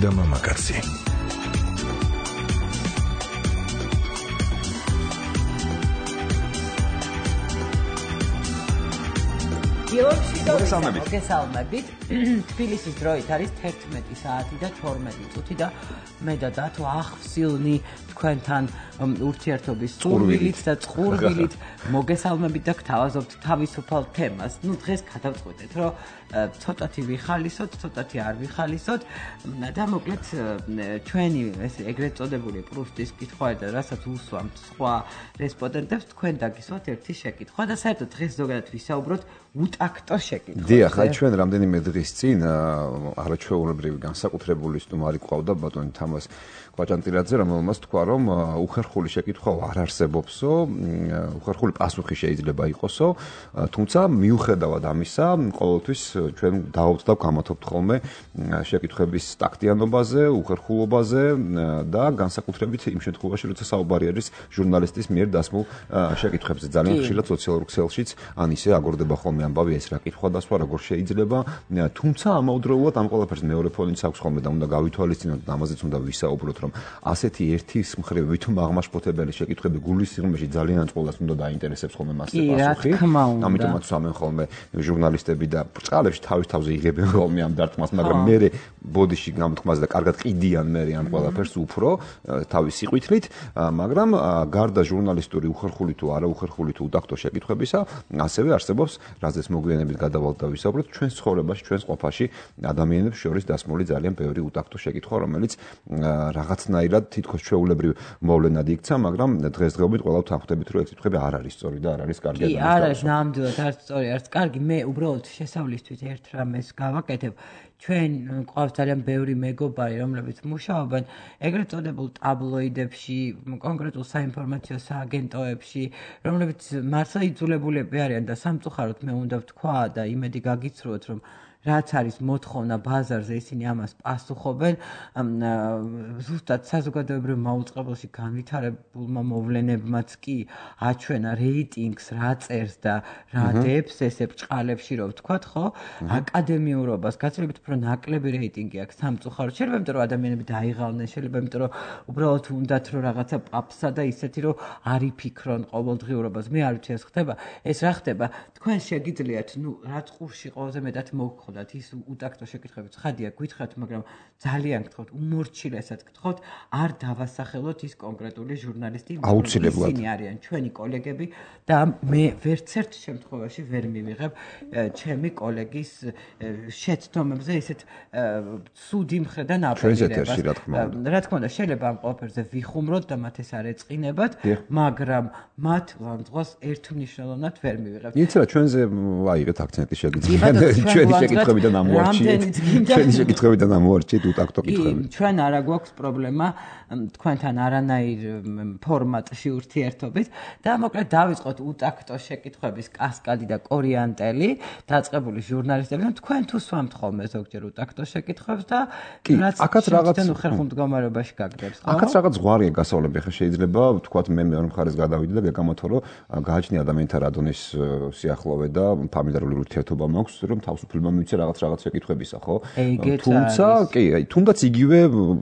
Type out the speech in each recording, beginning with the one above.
და მამაკაცი. მოგესალმებით. თბილისის დროით არის 11 საათი და 12 წუთი და მე და დათო ახსილნი თქვენთან ურთიერთობის სტურვილით და წყურვილით მოგესალმებით და გთავაზობთ თავისუფალ თემას. დღეს გადავწყვეტეთ, რომ ცოტათი ვიხალისოთ, ცოტათი არ ვიხალისოთ და მოკლედ ჩვენი ეს ეგრეთ წოდებული პრუსტის კითხვა და რასაც უსვამთ სხვა რესპონდენტებს, თქვენ დაგისვათ ერთი შეკითხვა და საერთოდ დღეს ზოგადად ვისაუბროთ უტაქტო შეკითხვაზე. დიახ, აი ჩვენ რამდენიმე დღის წინ არაჩვეულებრივი განსაკუთრებული სტუმარი ყავდა ბატონი თამაზ კვაჭანტილაძე, რომელმაც თქვა, რომ უხერხული შეკითხვა არ არსებობსო, უხერხული პასუხი შეიძლება იყოსო, თუმცა მიუხედავად ამისა, ყოველთვის ჩვენ დავობთ და ვგამათობთ ხოლმე შეკითხვების ტაქტიანობაზე, უხერხულობაზე და განსაკუთრებით იმ შემთხვევაში, როცა საუბარი არის ჟურნალისტის მიერ დასმულ შეკითხვებზე. ძალიან ხშირად სოციალურ ქსელშიც ან ისე აგორდება ხოლმე ამბავი, ეს რა კითხვა დასვა, როგორ შეიძლება, თუმცა ამავდროულად ამ ყველაფერს მეორე ფონიც აქვს ხოლმე და უნდა გავითვალისწინოთ და ამაზეც უნდა ვისაუბროთ, რომ ასეთი ერთის მხრივ ვითომ აღმაშფოთებელი შეკითხვები გულის სიღრმეში ძალიან წყობას უნდა დაინტერესებს ხოლმე მასზე პასუხი. ამიტომაც ვამენ ხოლმე ჟურნალისტები და ბრწყალებში თავის თავზე იღებენ ხოლმე ამ დარტყმას, მაგრამ მე ბოდიში გამოთქმას და კარგად ყიდიან მე ამ ყველაფერს უფრო თავის სიყვითლით, მაგრამ გარდა ჟურნალისტური უხერხული თუ არა უხერხული თუ უტაქტო შეკითხვებისა, ასევე არსებობს, რაზეც მოგვიანებით გადავალთ და ვისაუბროთ, ჩვენს ცხოვრებაში, ჩვენს ყოფაში ადამიანებს შორის დასმული ძალიან ბევრი უტაქტო შეკითხვა, რომელიც რაღაცნაირად თითქოს ჩვეულებრივ მოვლენად იქცა, მაგრამ დღესდღეობით ყველა თანხმდებით, რომ ეს კითხები არ არის სწორი და არ არის კარგი. კი, არ არის ნამდვილად არც სწორი, არც კარგი. მე უბრალოდ შესავლისთვის ერთ რამეს გავაკეთებ. ჩვენ ყავს ძალიან ბევრი მეგობარი, რომლებიც მუშაობენ ეგრეთ წოდებულ ტაბლოიდებში, კონკრეტულ საინფორმაციო სააგენტოებში, რომლებიც მართლა იძულებულები არიან და სამწუხაროდ მე უნდა ვთქვა და იმედი გაგიცრუოთ, რომ რაც არის მოთხოვნა ბაზარზე, ისინი ამას პასუხობენ. ზუსტად საზოგადოებრივ მაუწყებელში განვითარებულმა მოვლენებმაც კი აჩვენა რეიტინგს, რა წერს და რა დებს ესე ბრჭყალებში, რომ ვთქვათ, ხო? აკადემიურობას გაცილებით უფრო ნაკლები რეიტინგი აქვს სამწუხაროდ. შეიძლება იმიტომ, რომ ადამიანები დაიღალნენ, შეიძლება იმიტომ, რომ უბრალოდ უნდათ რომ რაღაცა პაპსა და ისეთი, რომ არ იფიქრონ ყოველდღიურობას. მე არ ვიცი ეს ხდება. ეს რა ხდება? თქვენ შეგიძლიათ, რა წყურში ყველაზე მეტად მოგხდათ ის უტაქტო შეკითხვები ცხადია გითხრათ, მაგრამ ძალიან გთხოვთ, უმორჩილესად გთხოვთ, არ დავასახელოთ ის კონკრეტული ჟურნალისტი, ისინი არიან ჩვენი კოლეგები და მე ვერცერთ შემთხვევაში ვერ მივიღებ ჩემი კოლეგის შეცდომებზე ისეთ ცუდი მხრიდან აპელირებას. რა თქმა უნდა, შეიძლება ამ ყველაფერზე ვიხუმროთ და მათ ეს არ ეწყინებათ, მაგრამ მათ ლანძღვას ერთმნიშვნელოვნად ვერ მივიღებ. იცი რა, ჩვენზე აიღეთ აქცენტი შეგიძლიათ ჩვენი შეკითხვებიდან ამოვარჩიეთ. ჩვენი შეკითხვებიდან ამოვარჩიეთ უტაქტო კითხვები. ჩვენ არა გვაქვს პრობლემა თქვენთან არანაირ ფორმატში ურთიერთობით და მოკლედ დავიწყოთ უტაქტო შეკითხვების კასკადი და კორიანტელი დაწყებული ჟურნალისტებიდან. თქვენ თუ სვამთ ხოლმე ზოგჯერ უტაქტო შეკითხვებს და რაც აქაც უხერხულ მდგომარეობაში გაგდებს. აქაც რაღაც ზღვარია გასავლები, ხა შეიძლება ვთქვათ მე მეორე მხარეს გადავიდე და გეკამათო, რომ გააჩნია ადამიანთა რადონის სიახლოვე და ფამილიარული ურთიერთობა მაქვს, რომ თავისუფლება მივიცე რაღაც შეკითხვებისა, ხო? თუმცა, კი, თუნდაც იგივე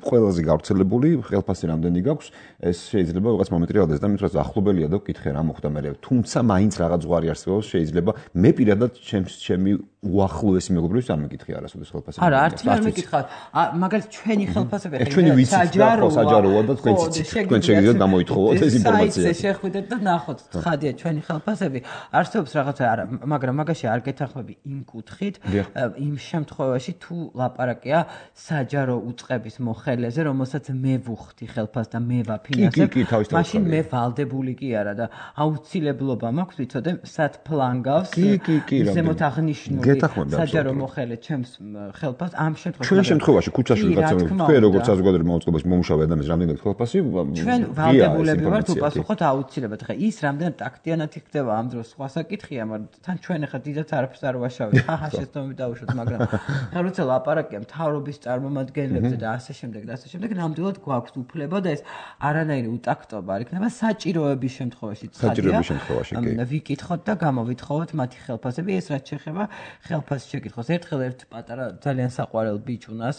ყველაზე გავრცელებული ხელფასი რამდენი გაქვს, ეს შეიძლება რაღაც მომენტი რეალდეს და მithras ახლობელია და ვკითხე რა მოხდა მე. თუმცა მაინც რაღაც ზღვარი არსებობს, შეიძლება მე პირადად ჩემი უახლოესი მეგობრებს არ მეკითხე არასოდეს ხელფასი. არა, არც ვერ მეკითხავ. მაგალითად ჩვენი ხელფასები ჩვენი ვიცით და საჯაროა და თქვენ ციცით. თქვენ შეგიძლიათ გამოითხოვოთ ეს ინფორმაცია. საიტზე შეხვიდეთ და ნახოთ, ხადია ჩვენი ხელფასები. არსებობს რაღაცა არა, მაგრამ მაგაში არ გეთანხმები იმ კუთხით, იმ შემთხვევაში თუ ლაპარაკია საჯარო უწყების მოხელეზე, რომელსაც მე ვუხდი ხელფასს და მე ვაფინანსებ, მაშინ მე ვალდებული კი არა და აუცილებლობა მაქვს ვიცოდე სად ფლანგავს ზემოთ აღნიშნული საჯარო მოხელე ჩემს ხელფასს ამ შემთხვევაში. ჩვენ შემთხვევაში ქუჩაში ვიღაცა თქვენ როგორც საზოგადოებრივ მოწყობილობაში მომუშავე ადამიანს რამდენად ხელფასი ჩვენ ვალდებულები ვართ უპასუხოთ აუცილებლად. ხა ის რამდენად ტაქტიანად იქნება ამ დროს სხვა საკითხია, მაგრამ თან ჩვენ ახლა დიდად არაფერს არ ვაშავეთ. ხა შეცდომები დავუშვათ, მაგრამ ხა როცა ლაპარაკია მთავრობის წარმომადგენლებზე და ასე შემდეგ და ასე შემდეგ, ნამდვილად გვაქვს უფლება და ეს არანაირი უტაქტობა არ იქნება საჭიროების შემთხვევაში. საჭიროების შემთხვევაში კი. ვიკითხოთ და გამოვითხოვოთ მათი ხელფასები, ეს რაც შეეხება ხელფასს შეკითხოს. ერთხელ ერთ პატარა ძალიან საყვარელ ბიჭუნას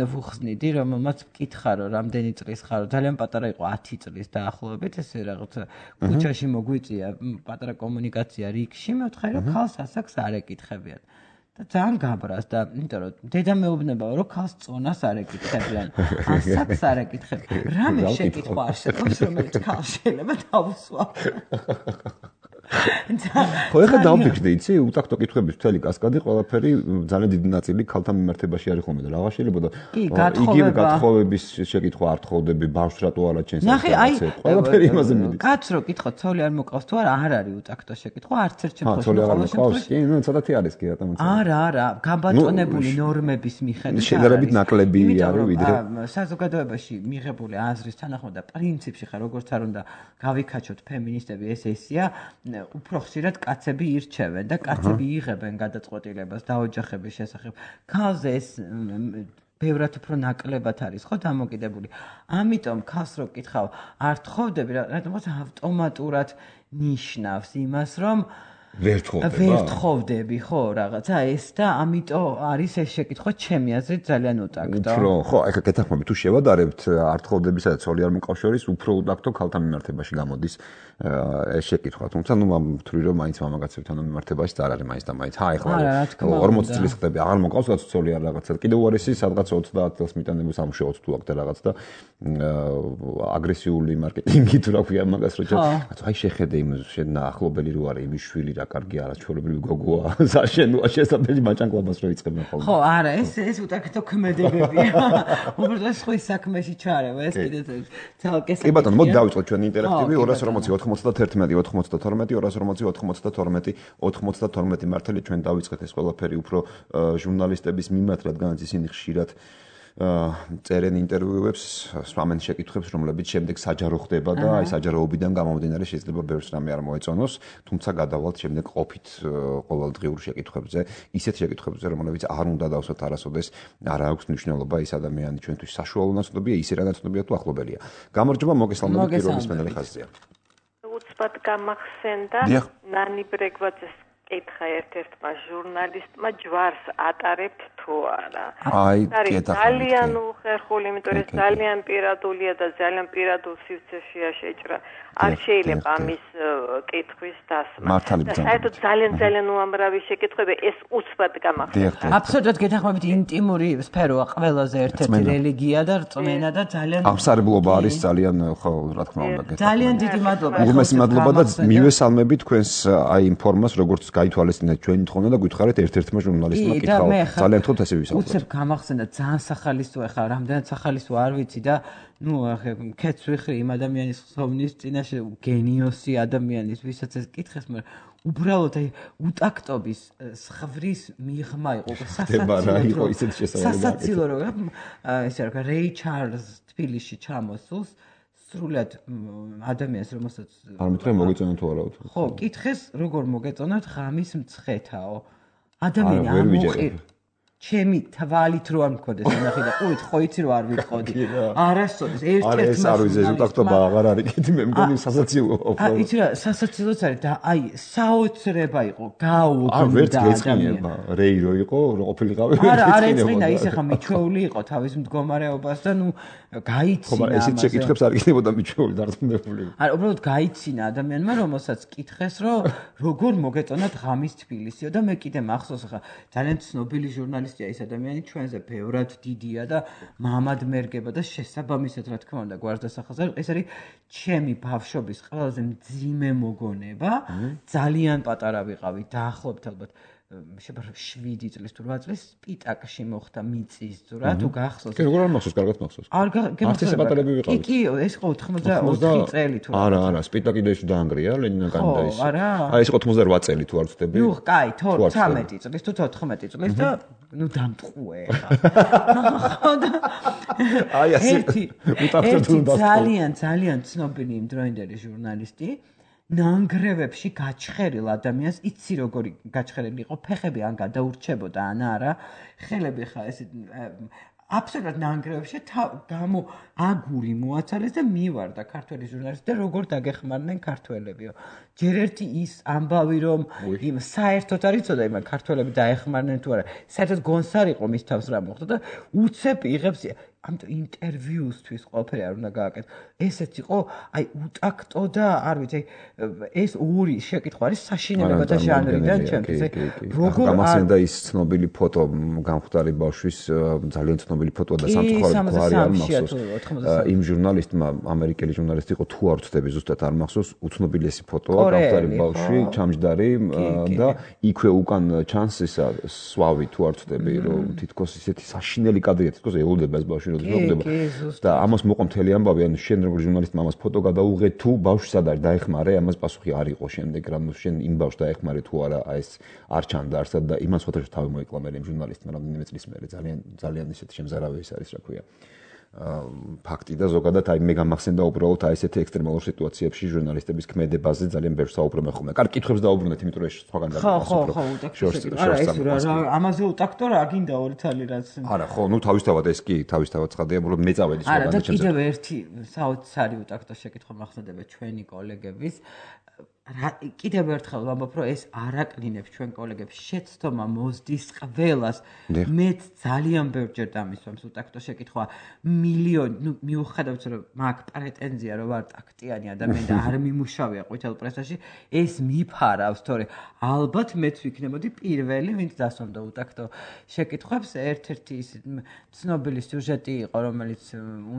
ვუხსნიდი, რომელმაც მკითხა, რომ რამდენი წლის ხარო, ძალიან პატარა იყო 10 წლის დაახლოებით, ესე რაღაც ქუჩაში მოგვიწია პატარა კომუნიკაცია რიგში, მეთქე რომ ქალს ასაკს არ ეკითხებიან. და ძალიან გაბრას და იმიტომ რომ დედა მეუბნებაო რომ ქალს წონას არ ეკითხებიან, ასაკს არ ეკითხებიან. რამე შეკითხვა არ შეყავს, რომელიც ქალს შეიძლება დაუსვა. ხო, ეხლა დავფიქრდი, იცი, უტაქტო კითხვების მთელი კასკადი ყველაფერი ძალიან დიდი ნაწილი ქალთა მიმართებაში არის ხოლმე და რა შეიძლება და იგივე გათხოვების შეკითხვა არ თხოვდები, ბავშვს რატო არ აჩენს რაღაცა. ყველაფერი იმაზე მიდის. კაცს რო კითხო, ცოლი არ მოკავს თუ არა, არ არის უტაქტო შეკითხვა, არც ერთ შემთხვევაში. ცოლი არ მოკავს? კი, ნუ ცოტათი არის კი რატომ იცი. არა, გაბატონებული ნორმების მიხედვით. შედარებით ნაკლები არის ვიდრე. საზოგადოებაში მიღებული აზრის თანახმად და პრინციპში ხა როგორც არ უნდა გავიქაჩოთ ფემინისტები ეს ესია, უფრო ხშირად კაცები ირჩევენ და კაცები იღებენ გადაწყვეტილებას დაოჯახების შესახებ. ქალზე ეს ბევრად უფრო ნაკლებად არის ხო დამოკიდებული. ამიტომ ქალს რო კითხავ, არ თხოვდები, რადგან ავტომატურად ნიშნავს იმას, რომ ვერ თხოვდები, ხო, რაღაცა ეს და ამიტომ არის ეს შეკითხვა ჩემი აზრით ძალიან უტაქტო. უფრო, ხო, ეხლა გეთახმები თუ შევადარებთ არ თხოვდებისა და ცოლი არ მოკავს შორის უფრო უტაქტო ქალთა მიმართებაში გამოდის ეს შეკითხვა. თუმცა ნუ ვთვლი რომ მაინც მამაკაცებთან მიმართებაში არ არის მაინც და მაინც. ეხლა 40 წლის ხდები, აღარ მოკავს რაც ცოლი არ რაღაცა. კიდევ უარესი სადღაც 30 წელს მიტანებული სამუშაოც თუ აქვს და რაღაც და აგრესიული მარკეტინგი თუ რა ქვია მაგას რო აი შეხედე იმ ახლობელი რო არის იმის შვილი რა კარგი არა ჩვეულებრივი გოგოა საშენოა შესაძლებელი მაჭანკლებას რო იწყებენ ხოლმე. ხო, არა, ეს უტაქტო ქმედებებია. უბრალოდ სხვის საქმეში ჩარევა, ეს კიდე ცალკე კი ბატონო, მოდი დავიწყოთ ჩვენი ინტერაქტივი 240 91 მართალი ჩვენ დავიწყეთ ეს ყველაფერი უფრო ჟურნალისტების მიმართ, რადგანაც ისინი ხშირად წერენ ინტერვიუებს, სვამენ შეკითხვებს, რომლებიც შემდეგ საჯარო ხდება და აი საჯაროობიდან გამომდინარე შეიძლება ბევრს რამე არ მოეწონოს, თუმცა გადავალთ შემდეგ ყოფით ყოველდღიურ შეკითხვებზე, ისეთ შეკითხვებზე, რომლებიც არ უნდა დავსვათ არასოდეს, არ აქვს მნიშვნელობა ის ადამიანი ჩვენთვის საშუალო ნაცნობია, ისე რა ნაცნობია თუ ახლობელია. გამარჯობა, მოგესალმებით, პირველი მენელი ხაზია. უცბად გამახსენდა ნანი ბრეგვაძეს კითხა ერთ-ერთმა ჟურნალისტმა ჯვარს ატარებთ თუ არა. აი, ძალიან უხერხული, იმიტომ რომ ძალიან პირადულია და ძალიან პირადულ სივრცეშია შეჭრა. არ შეიძლება ამის კითხვის დასმა. საერთოდ ძალიან უამრავი შეკითხვები ეს უცბად გამახსენდა. აბსოლუტურად გეთანხმებით ინტიმური სფეროა ყველაზე ერთ-ერთი რელიგია და რწმენა და ძალიან აღსარებლობა არის ძალიან ხო რა თქმა უნდა. ძალიან დიდი მადლობა. უღმესი მადლობა და მივესალმები თქვენს აი იმ ფორმას როგორც გაითვალისწინეთ ჩვენი თხოვნა და გითხარით ერთ-ერთმა ჟურნალისტმა კითხავ. ძალიან თქო ესე ვისაუბროთ. უცებ გამახსენდა ძალიან სახალისო ახლა რამდენად სახალისო არ ვიცი და ნუ ახლა კეთს ვიხრი იმ ადამიანის ხსოვნის წინაშე გენიოსი ადამიანის ვისაც ეს კითხეს, მაგრამ უბრალოდ აი უტაქტობის სხვრის მიღმა იყო სასაცილო რომ ესე რა რეი ჩარლზ თბილისში ჩამოსულს სრულად ადამიანს რომელსაც არ მითხრა მოგეწონა თუ არა თუ ხო კითხეს როგორ მოგეწონათ ღამის მცხეთაო ადამიანი ამოყირ ჩემი თვალით რო არ მქონდეს ნახე და ყურით ხო იცი რო არ ვიტყოდი არასოდეს ერთ-ერთ ეს უტაქტობა აღარ არის კიდე მე მგონი სასაცილოა იცი რა სასაცილოც არის და აი საოცრება იყო გაუგნდა ვერც გეწყინება რეი რო იყო რო ყოფილიყავი არა ეწყინა ის ახლა მიჩვეული იყო თავის მდგომარეობას და ნუ გაიცინა ამას ესეთ შეკითხვებს არ გინებოდა მიჩვეული დარწმუნებული არა უბრალოდ გაიცინა ადამიანმა რომელსაც კითხეს რომ როგორ მოგეწონათ ღამის თბილისიო და მე კიდე მახსოვს ახლა ძალიან ცნობილი ჟურნალისტია ის ადამიანი ჩვენზე ბევრად დიდია და მამად მერგება და შესაბამისად რა თქმა უნდა გვარდასახელს ეს არის ჩემი ბავშვობის ყველაზე მძიმე მოგონება ძალიან პატარა ვიყავი დაახლოებით ალბათ შეიძლება 7 წლის თუ 8 წლის სპიტაკში მოხდა მიწის ძვრა თუ გახსოვს კი როგორ არ მახსოვს კარგად მახსოვს არც ესე პატარები ვიყავით კი ეს იყო 84 წელი თუ არა სპიტაკი და ის დაანგრია ლენინაგანი და ის აი ეს 88 წელი თუ არ ვწდები ნუ კაი 13 წლის თუ 14 წლის და ნუ დამტყუე აი ასე ძალიან ცნობილი იმ დროინდელი ჟურნალისტი ნანგრევებში გაჩხერილ ადამიანს იცი როგორი გაჩხერილი იყო ფეხები ან გადაურჩებოდა ან არა ხელები ხა ესე აბსოლუტურად ნანგრევებში გამო აგური მოაცალეს და მივარდა ქართველი ჟურნალისტი და როგორ დაგეხმარნენ ქართველებიო. ჯერ ერთი ის ამბავი რომ იმ საერთოდ არ იცოდა იმ ქართველები დაეხმარნენ თუ არა. საერთოდ გონსარ იყო მის თავს რა მოხდა და უცებ იღებს ამიტომ ინტერვიუსთვის ყველაფერი არ უნდა გააკეთო. ესეც იყო აი უტაქტო და არ ვიცი ეს ორი შეკითხვა არის საშინელებათა ჟანრიდან ჩემთვის. როგორ გამახსენდა ის ცნობილი ფოტო გამხდარი ბავშვის ძალიან ცნობილი ფოტოა და სამწუხაროდ გვარი არ მახსოვს. იმ ჟურნალისტმა ამერიკელი ჟურნალისტი იყო თუ არ ვცდები ზუსტად არ მახსოვს უცნობილესი ფოტოა გამხდარი ბავშვი ჩამჯდარი და იქვე უკან ჩანს ისა სვავი თუ არ ვცდები რომ თითქოს ისეთი საშინელი კადრია თითქოს ელოდება ეს ბავშვი და ამას მოყვა მთელი ამბავი ანუ შენ როგორ ჟურნალისტმა ამას ფოტო გადაუღე თუ ბავშვს არ დაეხმარე ამას პასუხი არ იყო შემდეგ რა შენ იმ ბავშვს დაეხმარე თუ არა ეს არ ჩანდა არსად და იმას ფოტოში თავი მოიკლა მე იმ ჟურნალისტმა რამდენიმე წლის მერე ძალიან ისეთი შემზარავი ის არის რა ქვია ფაქტი და ზოგადად აი მე გამახსენდა უბრალოდ აი ესეთი ექსტრემალურ სიტუაციებში ჟურნალისტების ქმედებაზე ძალიან ბევრს საუბრობენ ხოლმე. კარგი კითხვებს დაუბრუნდეთ, იმიტომ რომ ეს სხვაგან ხო, არა ეს რა ამაზე უტაქტო რა გინდა ორი თალი რაც. არა, ხო, ნუ თავისთავად ეს კი თავისთავად ცხადია, უბრალოდ მე წავედი სხვაგან. არა, და კიდევ ერთი საოცარი უტაქტო შეკითხვა მახსენდება ჩვენი კოლეგების კიდევ ერთხელ ვამბობ რომ ეს არ აკლინებს ჩვენ კოლეგებს შეცდომა მოსდის ყველას მეც ძალიან ბევრჯერ დამისვამს უტაქტო შეკითხვა მილიონი ნუ მიუხედავად რომ მაგ პრეტენზია რომ ვარ ტაქტიანი ადამიანი და არ მიმუშავია ყვითელ პრესაში ეს მიფარავს თორე ალბათ მეც ვიქნებოდი პირველი ვინც დასვამდა უტაქტო შეკითხვებს ერთ-ერთი ის ცნობილი სიუჟეტი იყო რომელიც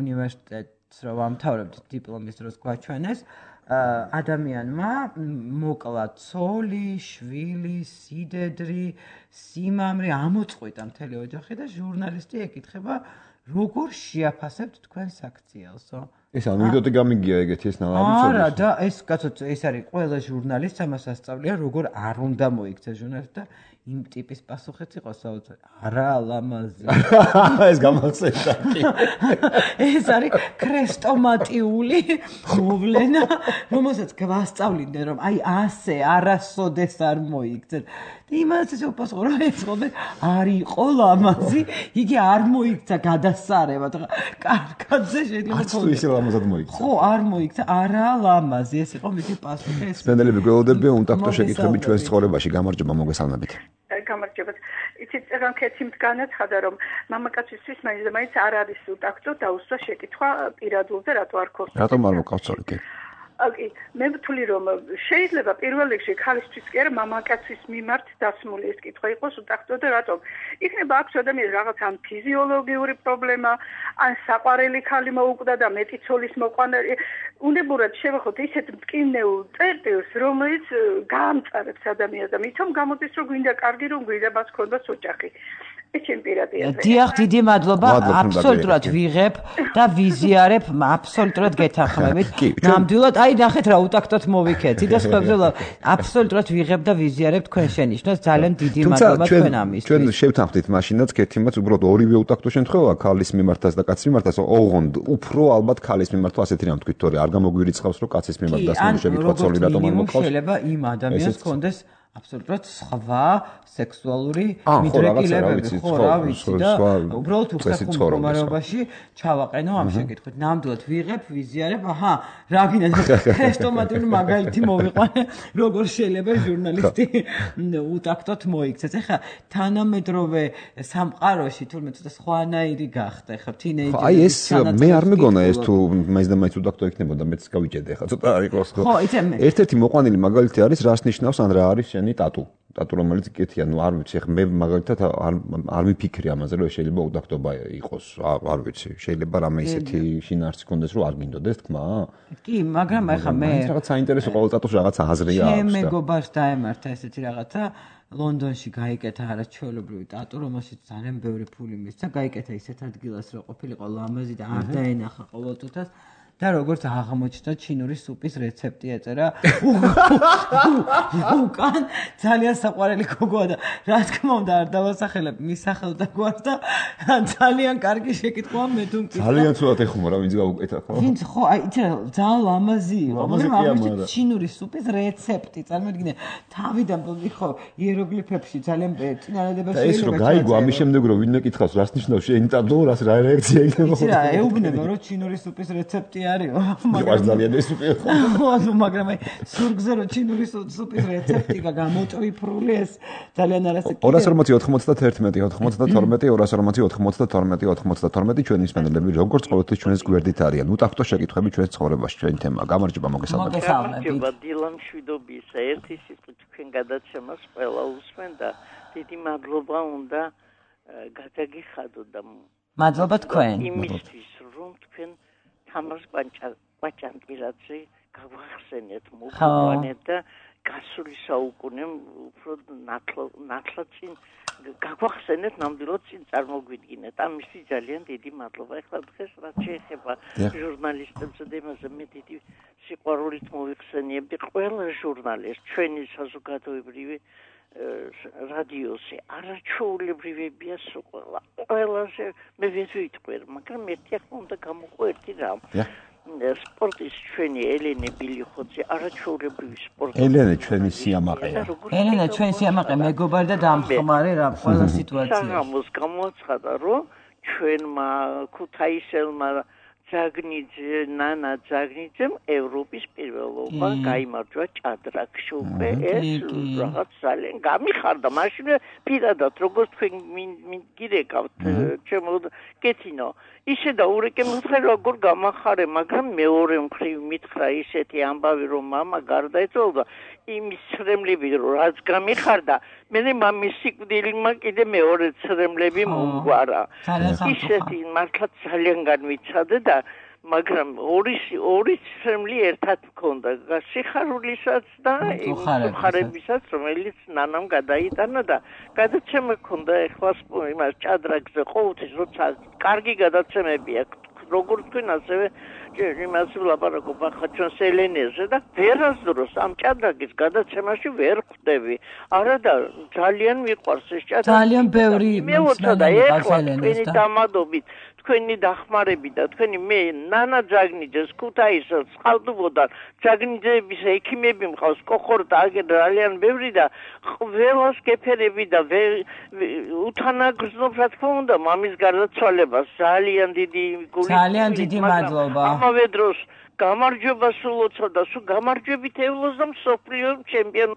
უნივერსიტეტს რო ვამთავრებდი დიპლომის დროს გვაჩვენეს ადამიანმა მოკლა ცოლი, შვილი, სიდედრი, სიმამრი ამოწყვიტა მთელი ოჯახი და ჟურნალისტი ეკითხება როგორ შეაფასებთ თქვენს აქციელსო? ეს ანეკდოტი გამიგია ეგეთი ეს ნალავი არა და ეს კაცო ეს არის ყველა ჟურნალისტს ამას ასწავლია როგორ არ უნდა მოიქცეს ჟურნალისტი და იმ ტიპის პასუხიც იყო საოცარი. არა ლამაზი. ეს გამახსენდა. ეს არის ქრესტომატიული მოვლენა, რომელსაც გვასწავლინდნენ რომ აი ასე არასოდეს არ მოიქცეთ. და იმას ესე უპასუხო რომ ეს ხოლმე არ იყო ლამაზი, იგი არ მოიქცა გადასარევად. კარგადზე შეიძლება თქოს. ის ლამაზად მოიქცა. ხო, არ მოიქცა, არა ლამაზი, ეს იყო მისი პასუხი. სპენდელები გველოდებიან უტაქტო შეკითხვები ჩვენს ცხოვრებაში. გამარჯობა, მოგესალმებით. გამარჯობა. იცით, წეგან კეთილ განაცხადა რომ მამაკაცისთვის მაინც არ არის უტაქტო დაუსვა შეკითხვა პირადულზე რატო არ ქოს. რატომ არ მოკავწოლი კი? კი, მე ვთვლი რომ შეიძლება პირველ რიგში ქალისთვის კი არა მამაკაცის მიმართ დასმული ეს კითხვა იყოს უტაქტო და რატომ? იქნება აქვს ადამიანს რაღაც ან ფიზიოლოგიური პრობლემა, ან საყვარელი ქალი მოუკვდა და მეტი ცოლის მოყვანა. უნებურად შევახოთ ისეთ მტკივნეულ წერტილს, რომელიც გაამწარებს ადამიანს და მithom გამოდის რომ გვინდა კარგი რომ გვინდა მას ქონდეს ოჯახი. ეს ჩემი პირადი აზრია. დიახ, დიდი მადლობა. აბსოლუტურად ვიღებ და ვიზიარებ, აბსოლუტურად გეთანხმებით. ნამდვილად, აი ნახეთ რა უტაქტოთ მოვიქეცი და სხვებზე აბსოლუტურად ვიღებ და ვიზიარებ თქვენ შენიშვნას. ძალიან დიდი მადლობა თქვენ ამისთვის. ჩვენ შევთანხმდით მაშინაც კეთილმაც უბრალოდ ორივე უტაქტო შემთხვევა ქალის მიმართაც და კაცის მიმართაც ოღონდ უფრო ალბათ ქალის მიმართვა ასეთი რამ თქვით, თორე არ გამოგვირიცხავს რომ კაცის მიმართ დასმული შეკითხვა ცოლი რატომ არ მოყავს. შეიძლება იმ ადამიანს კონდეს აბსოლუტურად სხვა სექსუალური მიდრეკილებები ხო რა ვიცი და უბრალოდ უხერხულ მდგომარეობაში ჩავაყენო ამ შეკითხვით. ნამდვილად ვიღებ, ვიზიარებ, აჰა, რა გინდა ქრესტომატიული მაგალითი მოვიყვანე, როგორ შეიძლება ჟურნალისტი უტაქტოთ მოიქცეს. ეხლა თანამედროვე სამყაროში თურმე ცოტა სხვანაირი გახდა, ეხლა თინეიჯერი. აი ეს მე არ მეგონა ეს თუ მაინც და მაინც უტაქტო იქნებოდა, მეც გავიჭედე ეხლა ცოტა არ იყოს ხო. ერთ-ერთი მოყვანილი მაგალითი არის რას ნიშნავს ან რა არის შენი ტატუ რომელიც კეთია, ნუ არ ვიცი, ხე მე მაგალითად არ მიფიქრი ამაზე, რომ შეიძლება უტაქტობა იყოს, არ ვიცი, შეიძლება რამე ისეთი შინაარსი კონდეს, რომ არ გინდოდეს თქმა? კი, მაგრამ ეხა მე რაღაც საინტერესო ყოველ ტატუს რაღაც აზრია აქვს და მე მეგობარს დაემართა ესეთი რაღაცა ლონდონში გაიკეთა არაჩვეულებრივი ტატუ, რომელშიც ძალიან ბევრი ფული მისცა, გაიკეთა ისეთ ადგილას, რომ ყოფილიყო ლამაზი და არ დაენახა ყოველწუთას და როგორც აღმოჩნდა ჩინური სუპის რეცეპტი ეწერა. უკან ძალიან საყვარელი გოგოა და რა თქმა უნდა არ დავასახელებ მის სახელს და გვარს და ძალიან კარგი შეკითხვაა მე თუ მწიფა. ძალიან ცუდად ეხუმა რა ვინც გაუკეთა ხო? ვინც ხო აი იცი რა ძალიან ლამაზი იყო. მაგრამ აღმოჩნდა ჩინური სუპის რეცეპტი. წარმოიდგინე თავიდან ხო იეროგლიფებში ძალიან წინადადება შეიძლება. ეს რო გაიგო ამის შემდეგ რო ვინმე კითხავს რას ნიშნავს შეინტარდო რას რა რეაქცია იქნება. იცი რა ეუბნება რომ ჩინური სუპის რეცეპტი არისო. მაგრამ ძალიან ეს სუპი ხო. მაგრამ აი სურგზე რო ჩინური სუპის რეცეპტი გამოწვიფრული ეს ძალიან არასაკეთებია. 240-92-92 ჩვენი მსმენელები როგორც ყოველთვის ჩვენს გვერდით არიან. უტახტო შეკითხვები ჩვენს ცხოვრებაში ჩვენი თემა. გამარჯობა მოგესალმებით. გამარჯობა დილამ შვიდობის ერთი სიტყვით თქვენ გადაცემას ყველა უსმენ და დიდი მადლობა უნდა გადაგიხადო და მადლობა თქვენ. იმისთვის რომ თქვენ თამარ კვაჭანტილაძე გავახსენეთ მოგვიანებით და გასული საუკუნე უფრო ნათლად წინ გაგვახსენეთ ნამდვილად წინ წარმოგვიდგინეთ. ამისთვის ძალიან დიდი მადლობა. ეხლა დღეს რაც შეეხება ჟურნალისტებს და იმაზე მე დიდი სიყვარულით მოვიხსენიებდი ყველა ჟურნალისტს ჩვენი საზოგადოებრივი რადიოზე არაჩვეულებრივებია ყველაზე მე ვიტყვი, მაგრამ ერთი ახლა უნდა გამოყო ერთი რამ. სპორტის ჩვენი ელენე ბილიხოძე არაჩვეულებრივი სპორტი. ელენე ჩვენი სიამაყეა. ელენე ჩვენი სიამაყე მეგობარი და დამხმარე რა ყველა სიტუაციაში. საღამოს გამოაცხადა რომ ჩვენმა ქუთაისელმა ნანა ძაგნიძემ ევროპის პირველობა გაიმარჯვა ჭადრაკში უკვე ეს რაღაც ძალიან გამიხარდა მაშინ პირადად როგორც თქვენ გირეკავთ ჩემო კეთინო ისე და ურეკე მითხრა როგორ გამახარე მაგრამ მეორე მხრივ მითხრა ისეთი ამბავი რომ მამა გარდაეცვალა იმის ცრემლები რომ რაც გამიხარდა მე მამის სიკვდილმა კიდე მეორე ცრემლები მომგვარა ისეთი მართლა ძალიან განვიცადე და მაგრამ ორი ცრემლი ერთად მქონდა სიხარულისაც და მხარებისაც რომელიც ნანამ გადაიტანა და გადაცემა მქონდა ეხლა იმას ჭადრაკზე ყოველთვის როცა კარგი გადაცემები აქვს როგორც თქვენ ასევე იმას ვლაპარაკობ ახლა ჩვენს ელენეზე და ვერასდროს ამ ჭადრაკის გადაცემაში ვერ ხვდები არა და ძალიან მიყვარს ეს ჭადრაკი ძალიან ბევრი მეუწოდა ეხლა თქვენი დამადობით თქვენი დახმარები და თქვენი მე ნანა ძაგნიძეს ქუთაისელს ხალდუბოდან ძაგნიძეების ექიმები მყავს კოხორტა აგერ ძალიან ბევრი და ყველას გეფერები და უთანაგრძნობ რა თქმა უნდა მამის გარდაცვალებას ძალიან დიდი გული ძალიან დიდი მადლობა ამავე დროს გამარჯობა სულოცა და სულ გამარჯვებით ევლოს და მსოფლიო ჩემპიონი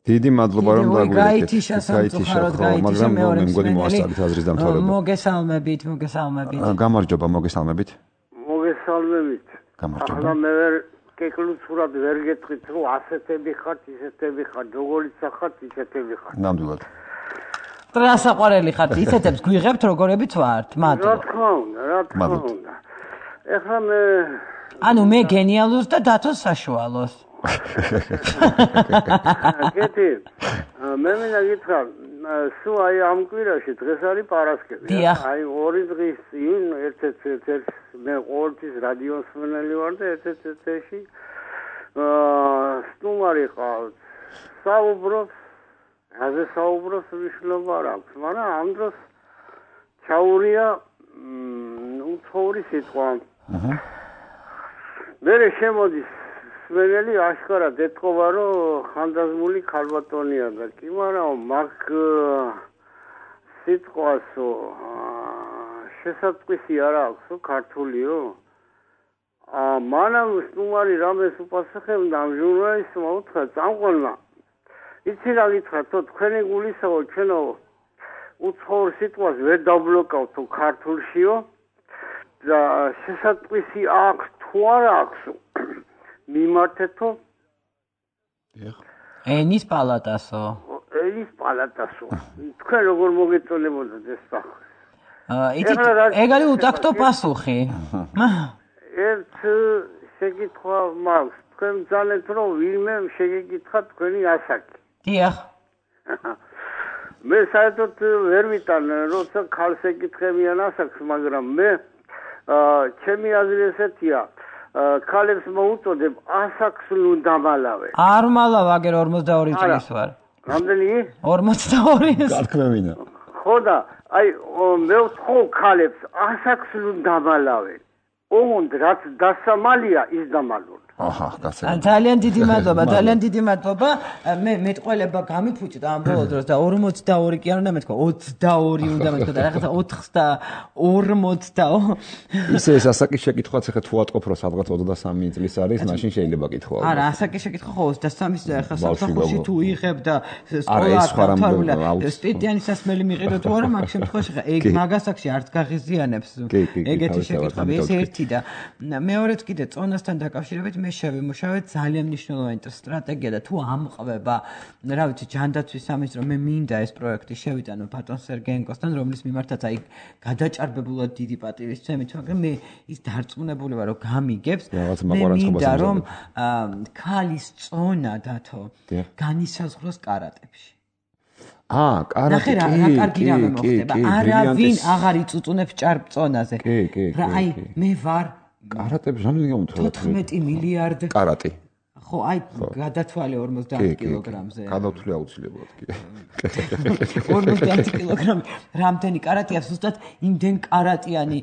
დიდი მადლობა რომ გაიგეთ სასამწუხაროდ მაგრამ მე მგონი მოასწრებით აზრის დამთავრება მოგესალმებით გამარჯობა მოგესალმებით ახლა მე კეკლუცურად ვერ გეტყვით რომ ასეთები ხართ ისეთები ხართ როგორიც ხართ ისეთები ხართ ნამდვილად ტრასაყვარელი ხართ ისეთებს გვიღებთ როგორებიც ვართ მადლობა რა თქმა უნდა ეხლა მე ანუ მე გენიალურს და დათოს საშუალოს კეთი მე მინდა გითხრა სულ აი ამ კვირაში დღეს არის პარასკევი აი ორი დღის წინ ერთ-ერთი მე ყოველთვის რადიოს მსმენელი ვარ და ერთ-ერთი სტუმარი ყავს საუბრობს რაზე საუბრობს მნიშვნელობა არ აქვს მაგრამ ამ დროს ჩაურია უცხოვრი სიტყვა მე შემოდის სმენელი აშკარად ეთქობა რომ ხანდაზმული ქალბატონია და კი მაგრამ მაგ სიტყვასო შესაძყვისი არ აქვს ქართულიო მანამ სტუმარი რამეს უპასუხებდა ამ ჟურნალისტმა უთხრა წამყვანმა იცი რა გითხრა თქვენი გულისაო ჩვენო უცხოურ სიტყვას ვერ დაბლოკავთ ქართულშიო და შესაძყვისი აქვს თუ არ აქვს მიმართეთო ენის პალატასო თქვენ როგორ მოგეწონებოდათ ეს სახე ეგ არის უტაქტო პასუხი ერთ შეკითხვა მაქვს თქვენ ძალეთ რომ ვინმე შეგეკითხა თქვენი ასაკი დიახ მე საერთოდ ვერ ვიტან როცა ქალს ეკითხებიან ასაკს მაგრამ მე ჩემი აზრი ესეთია ქალებს მოუწოდებ ასაკს ნუ დამალავე. არ მალავ აგერ 42 წლის ვარ. რამდენი? 42. გათქმევინა. ხო და აი მე ვთხოვ ქალებს ასაკს ნუ დამალავე. ოღონდ რაც დასამალია ის დამალონ. აჰა, გასაგებია. ძალიან დიდი მადლობა, ძალიან დიდი მადლობა. მე მეტყველება გამიფუჭდა ამ ბოლო დროს და 42 კი არ უნდა მეთქვა, 22 უნდა მეთქვა და რაღაცა 40. ისე ეს ასაკის შეკითხვაც ახლა თუ ატყობ რომ სადღაც 23 წლის არის, მაშინ შეიძლება გითხრა. არა, ასაკის შეკითხვა ხო 23 ახლა საფრთხეში თუ იღებ და სკოლა სტუდენტის სასმელი მიყიდო თუ არა, მაგ შემთხვევაში ხა ეგ მაგასაკში არც გაღიზიანებს ეგეთი შეკითხვები, ეს ერთი და მეორეც კიდე წონასთან დაკავშირებით მე შევიმუშავე ძალიან მნიშვნელოვანი სტრატეგია და თუ ამყვება, რა ვიცი, ჯანდაცვის სამინისტრო მე მინდა ეს პროექტი შევიტანო ბატონ სერგეენკოსთან, რომლის მიმართაც აი გადაჭარბებულად დიდი პატივისცემით, მაგრამ მე ის დარწმუნებული ვარ, რომ გამიგებს. მე მინდა რომ ქალის წონა დათო განისაზღვროს კარატებში. კარატე. რა კარგი რამე მოხდება. არავინ აღარ იწუწუნებს ჭარბწონაზე. რა აი მე ვარ კარატებს რამდენი გამოვთვალე? 14 მილიარდი. კარატი. ხო, აი გადათვალე 50 კილოგრამზე. გადავთვლი აუცილებლად კი. 50 კილოგრამი. რამდენი კარატია ზუსტად იმდენ კარატიანი,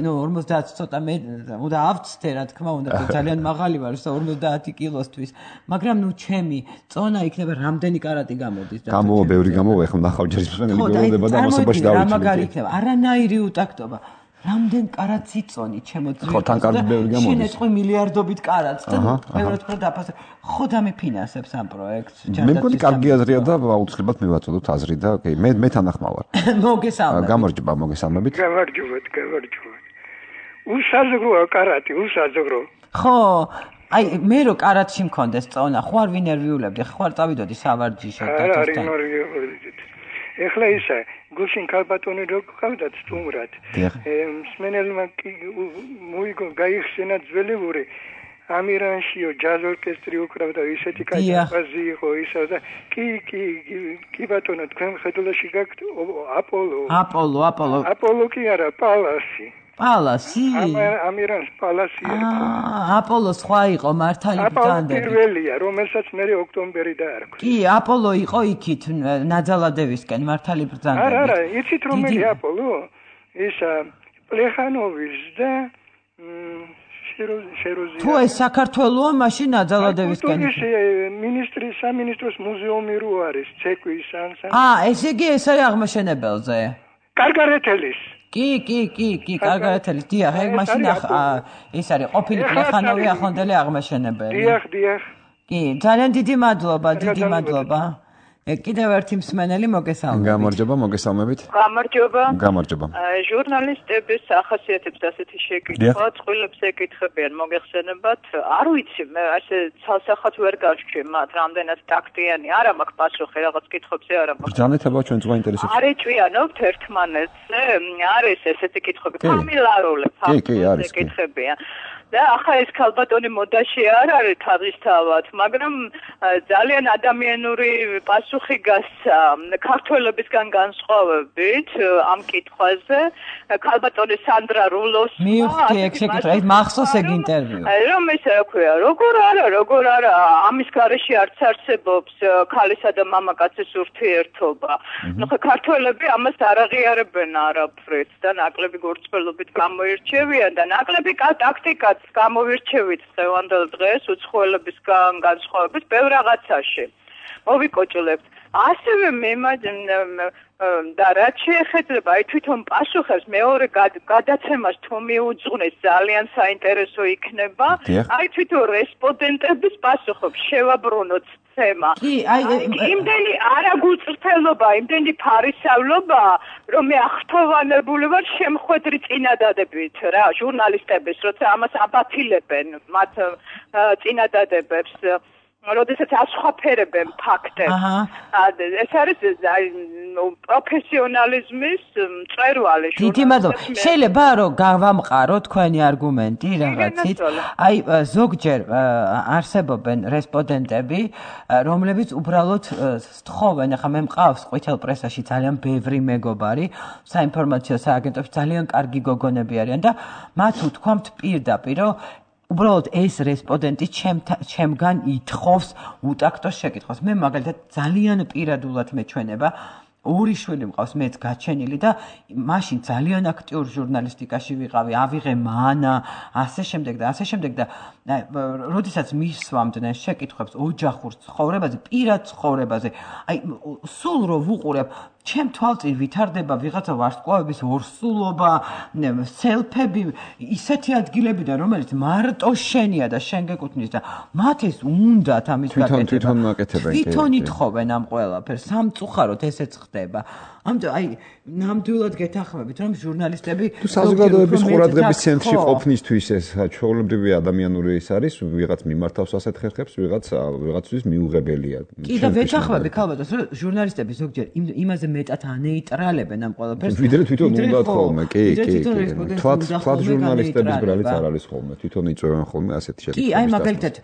ნუ 50 ცოტა მე უნდა ავწთე რა თქმა უნდა, ძალიან მაღალი ვარ 50 კილოსთვის. მაგრამ ნუ ჩემი წონა იქნება რამდენი კარატი გამოდის და გამოვა ბევრი გამოვა, ახლა ნახავჯერის მსმენელი გველოდება და ამასობაში დავიწყე. რა მაგარი იქნება? არანაირი უტაქტობა. რამდენ კარატს იწონი ჩემო ძვირს? ხო, თან კარგი ბევრი გამოდის. შენეწყო მილიარდობით კარატს და ყველგან უფრო დაფასებ. ხო და მეფინანსებს ამ პროექტს. მე მგონი კარგი აზრია და აუცილებლად მივაწოდოთ აზრი და მე თანახმა ვარ. მოგესალმებით. გამარჯობა, მოგესალმებით. გამარჯობათ. უსაზღროა კარატი, უსაზღრო. ხო, აი მე რო კარატში მქონდეს წონა, ხო არ ვინერვიულებდი, ხო არ წავიდოდი სავარჯიშო დათოსთან. ეხლა ისა გუშინ ქალბატონი რო ყავდათ სტუმრად. მსმენელმა მოიგო გაიხსენა ძველებური ამირანშიო ჯაზ ორკესტრი უკრავდა ისეთი კაცი იყო ისა და კი ბატონო თქვენ ხედულაში გაქვთ აპოლო კი არა პალასი ამირანს პალასი აპოლო სხვა იყო მართალი ბრძანდები აპოლო პირველია რომელსაც მე ოქტომბერი დაარქვა კი აპოლო იყო იქით ნაძალადევისკენ მართალი ბრძანდები არა იცით რომელი აპოლო ისა პლეხანოვის და თუ ეს საქართველოა მაშინ ნაძალადევისკენ სამინისტროს მუზეუმი რო არის ცეკვის ესე იგი ეს არის აღმაშენებელზე კარგარეთელის კი, კარგარეთელი, დიახ, ეგ მაშინ ეს არის ყოფილი პლეხანოვი ახლანდელი აღმაშენებელი. დიახ. კი, ძალიან დიდი მადლობა. კიდევ ერთი მსმენელი მოგესალმებით. გამარჯობა, მოგესალმებით. გამარჯობა. ჟურნალისტების ახასიათებს ასეთი შეკითხვა, წყვილებს ეკითხებიან მოგეხსენებათ. არ ვიცი, მე ასე ცალსახად ვერ გავშჩი მათ, რამდენად ტაქტიანი. არა მაქვს პასუხი რაღაც კითხვებზე, არა მაქვს. ბრძანეთება ჩვენ ზღვა ინტერესებს. არ ეჭვიანობთ ერთმანეთზე, არის ესეთი კითხვები, ფამილარული ეკითხებიან. და ახლა ეს ქალბატონი მოდაში არ არის თავისთავად, მაგრამ ძალიან ადამიანური პასუხი გასცა ქართველებისგან განსხვავებით ამ კითხვაზე. ქალბატონი სანდრა რულოს მივხვდი ეგ შეკითხვა, ეს მახსოვს ეგ ინტერვიუ. რომ ესე აქვია, როგორ არა, ამის გარეშე არც არსებობს ქალისა და მამაკაცის ურთიერთობა. ნუ ხა ქართველები ამას არ აღიარებენ არაფრით და ნაკლები გორწმელობით გამოირჩევიან და ნაკლები ტაქტიკა გამოვირჩევით დღევანდელ დღეს უცხოელებისგან განსხვავებით ბევრ რაღაცაში. მოვიკოჭლებთ. ასევე და რაც შეეხება აი თვითონ პასუხებს მეორე გადაცემას თუ მიუძღვნეს ძალიან საინტერესო იქნება. აი თვითონ რესპონდენტების პასუხებს შევაბრუნოთ თემა. იმდენი არაგულწრფელობა, იმდენი ფარისავლობა, რომ მე ახთოვანებული ვარ შემხვედრი წინადადებით რა ჟურნალისტების, როცა ამას აბათილებენ მათ წინადადებებს. როდესაც ასხვაფერებენ ფაქტებს. ეს არის პროფესიონალიზმის მწვერვალი. დიდი მადლობა. შეიძლება რომ გავამყარო თქვენი არგუმენტი რაღაცით. აი ზოგჯერ არსებობენ რესპონდენტები, რომლებიც უბრალოდ სთხოვენ, ახლა მე მყავს ყვითელ პრესაში ძალიან ბევრი მეგობარი, საინფორმაციო სააგენტოში ძალიან კარგი გოგონები არიან და მათ უთქვამთ პირდაპირ, რომ უბრალოდ ეს რესპონდენტი ჩემგან ითხოვს უტაქტოს შეკითხვას. მე მაგალითად ძალიან პირადულად მეჩვენება ორი შვილი მყავს მეც გაჩენილი და მაშინ ძალიან აქტიურ ჟურნალისტიკაში ვიყავი, ავიღე მანა, ასე შემდეგ და როდესაც მისვამდნენ შეკითხვებს ოჯახურ ცხოვრებაზე, პირად ცხოვრებაზე, აი სულ რო ვუყურებ ჩემ თვალწინ ვითარდება ვიღაცა ვარსკვლავების ორსულობა, სელფები, ისეთი ადგილებიდან, რომელიც მარტო შენია და შენ გეკუთვნის და მათ ეს უნდათ ამის გაკეთება. თვითონ ითხოვენ ამ ყველაფერს, სამწუხაროდ ესეც ხდება. ამიტომ აი ნამდვილად გეთანხმებით, რომ ჟურნალისტები თუ საზოგადოების ყურადღების ცენტრში ყოფნისთვის ეს ჩვეულებრივი ადამიანური ის არის, ვიღაც მიმართავს ასეთ ხერხებს, ვიღაცთვის მიუღებელია. კი და ვეთანხმები ქალბატონს, რომ ჟურნალისტები ზოგჯერ იმაზე მეტად ანეიტრალებენ ამ ყველაფერს. ვიდრე თვითონ უნდათ ხოლმე, კი. თვათ ჟურნალისტების ბრალიც არ არის ხოლმე, თვითონ იწვევენ ხოლმე ასეთი შეკითხვები. კი, აი მაგალითად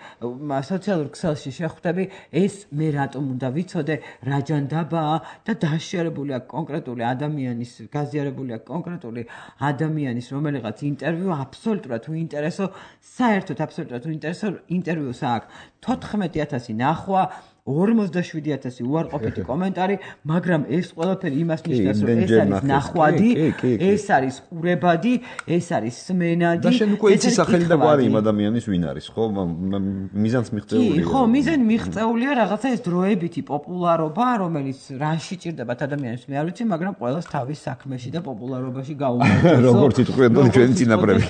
სოციალურ ქსელში შეხვდები, ეს მე რატომ უნდა ვიცოდე, რა ჯანდაბაა და დაშერებულია კონკრეტული ადამიანის, გაზიარებულია კონკრეტული ადამიანის რომელიღაც ინტერვიუ აბსოლუტურად უინტერესო, საერთოდ აბსოლუტურად უინტერესო ინტერვიუს აქვს 14000 ნახვა, 47000 უარყოფითი კომენტარი, მაგრამ ეს ყველაფერი იმას ნიშნავს, რომ ეს არის ნახვადი, ეს არის ყურებადი, ეს არის სმენადი. და შენ უკვე იცი სახელი და გვარი იმ ადამიანის ვინ არის, ხო? მიზანს მიღწეულია. კი, ხო, მიზანი მიღწეულია რაღაცა ეს დროებითი პოპულარობა, რომელიც რანში ჭირდებათ ადამიანებს, მე არ ვიცი, მაგრამ ყველას თავის საქმეში და პოპულარობაში გაუმართლოს. როგორც იტყვიებდნენ ჩვენი წინაპრები.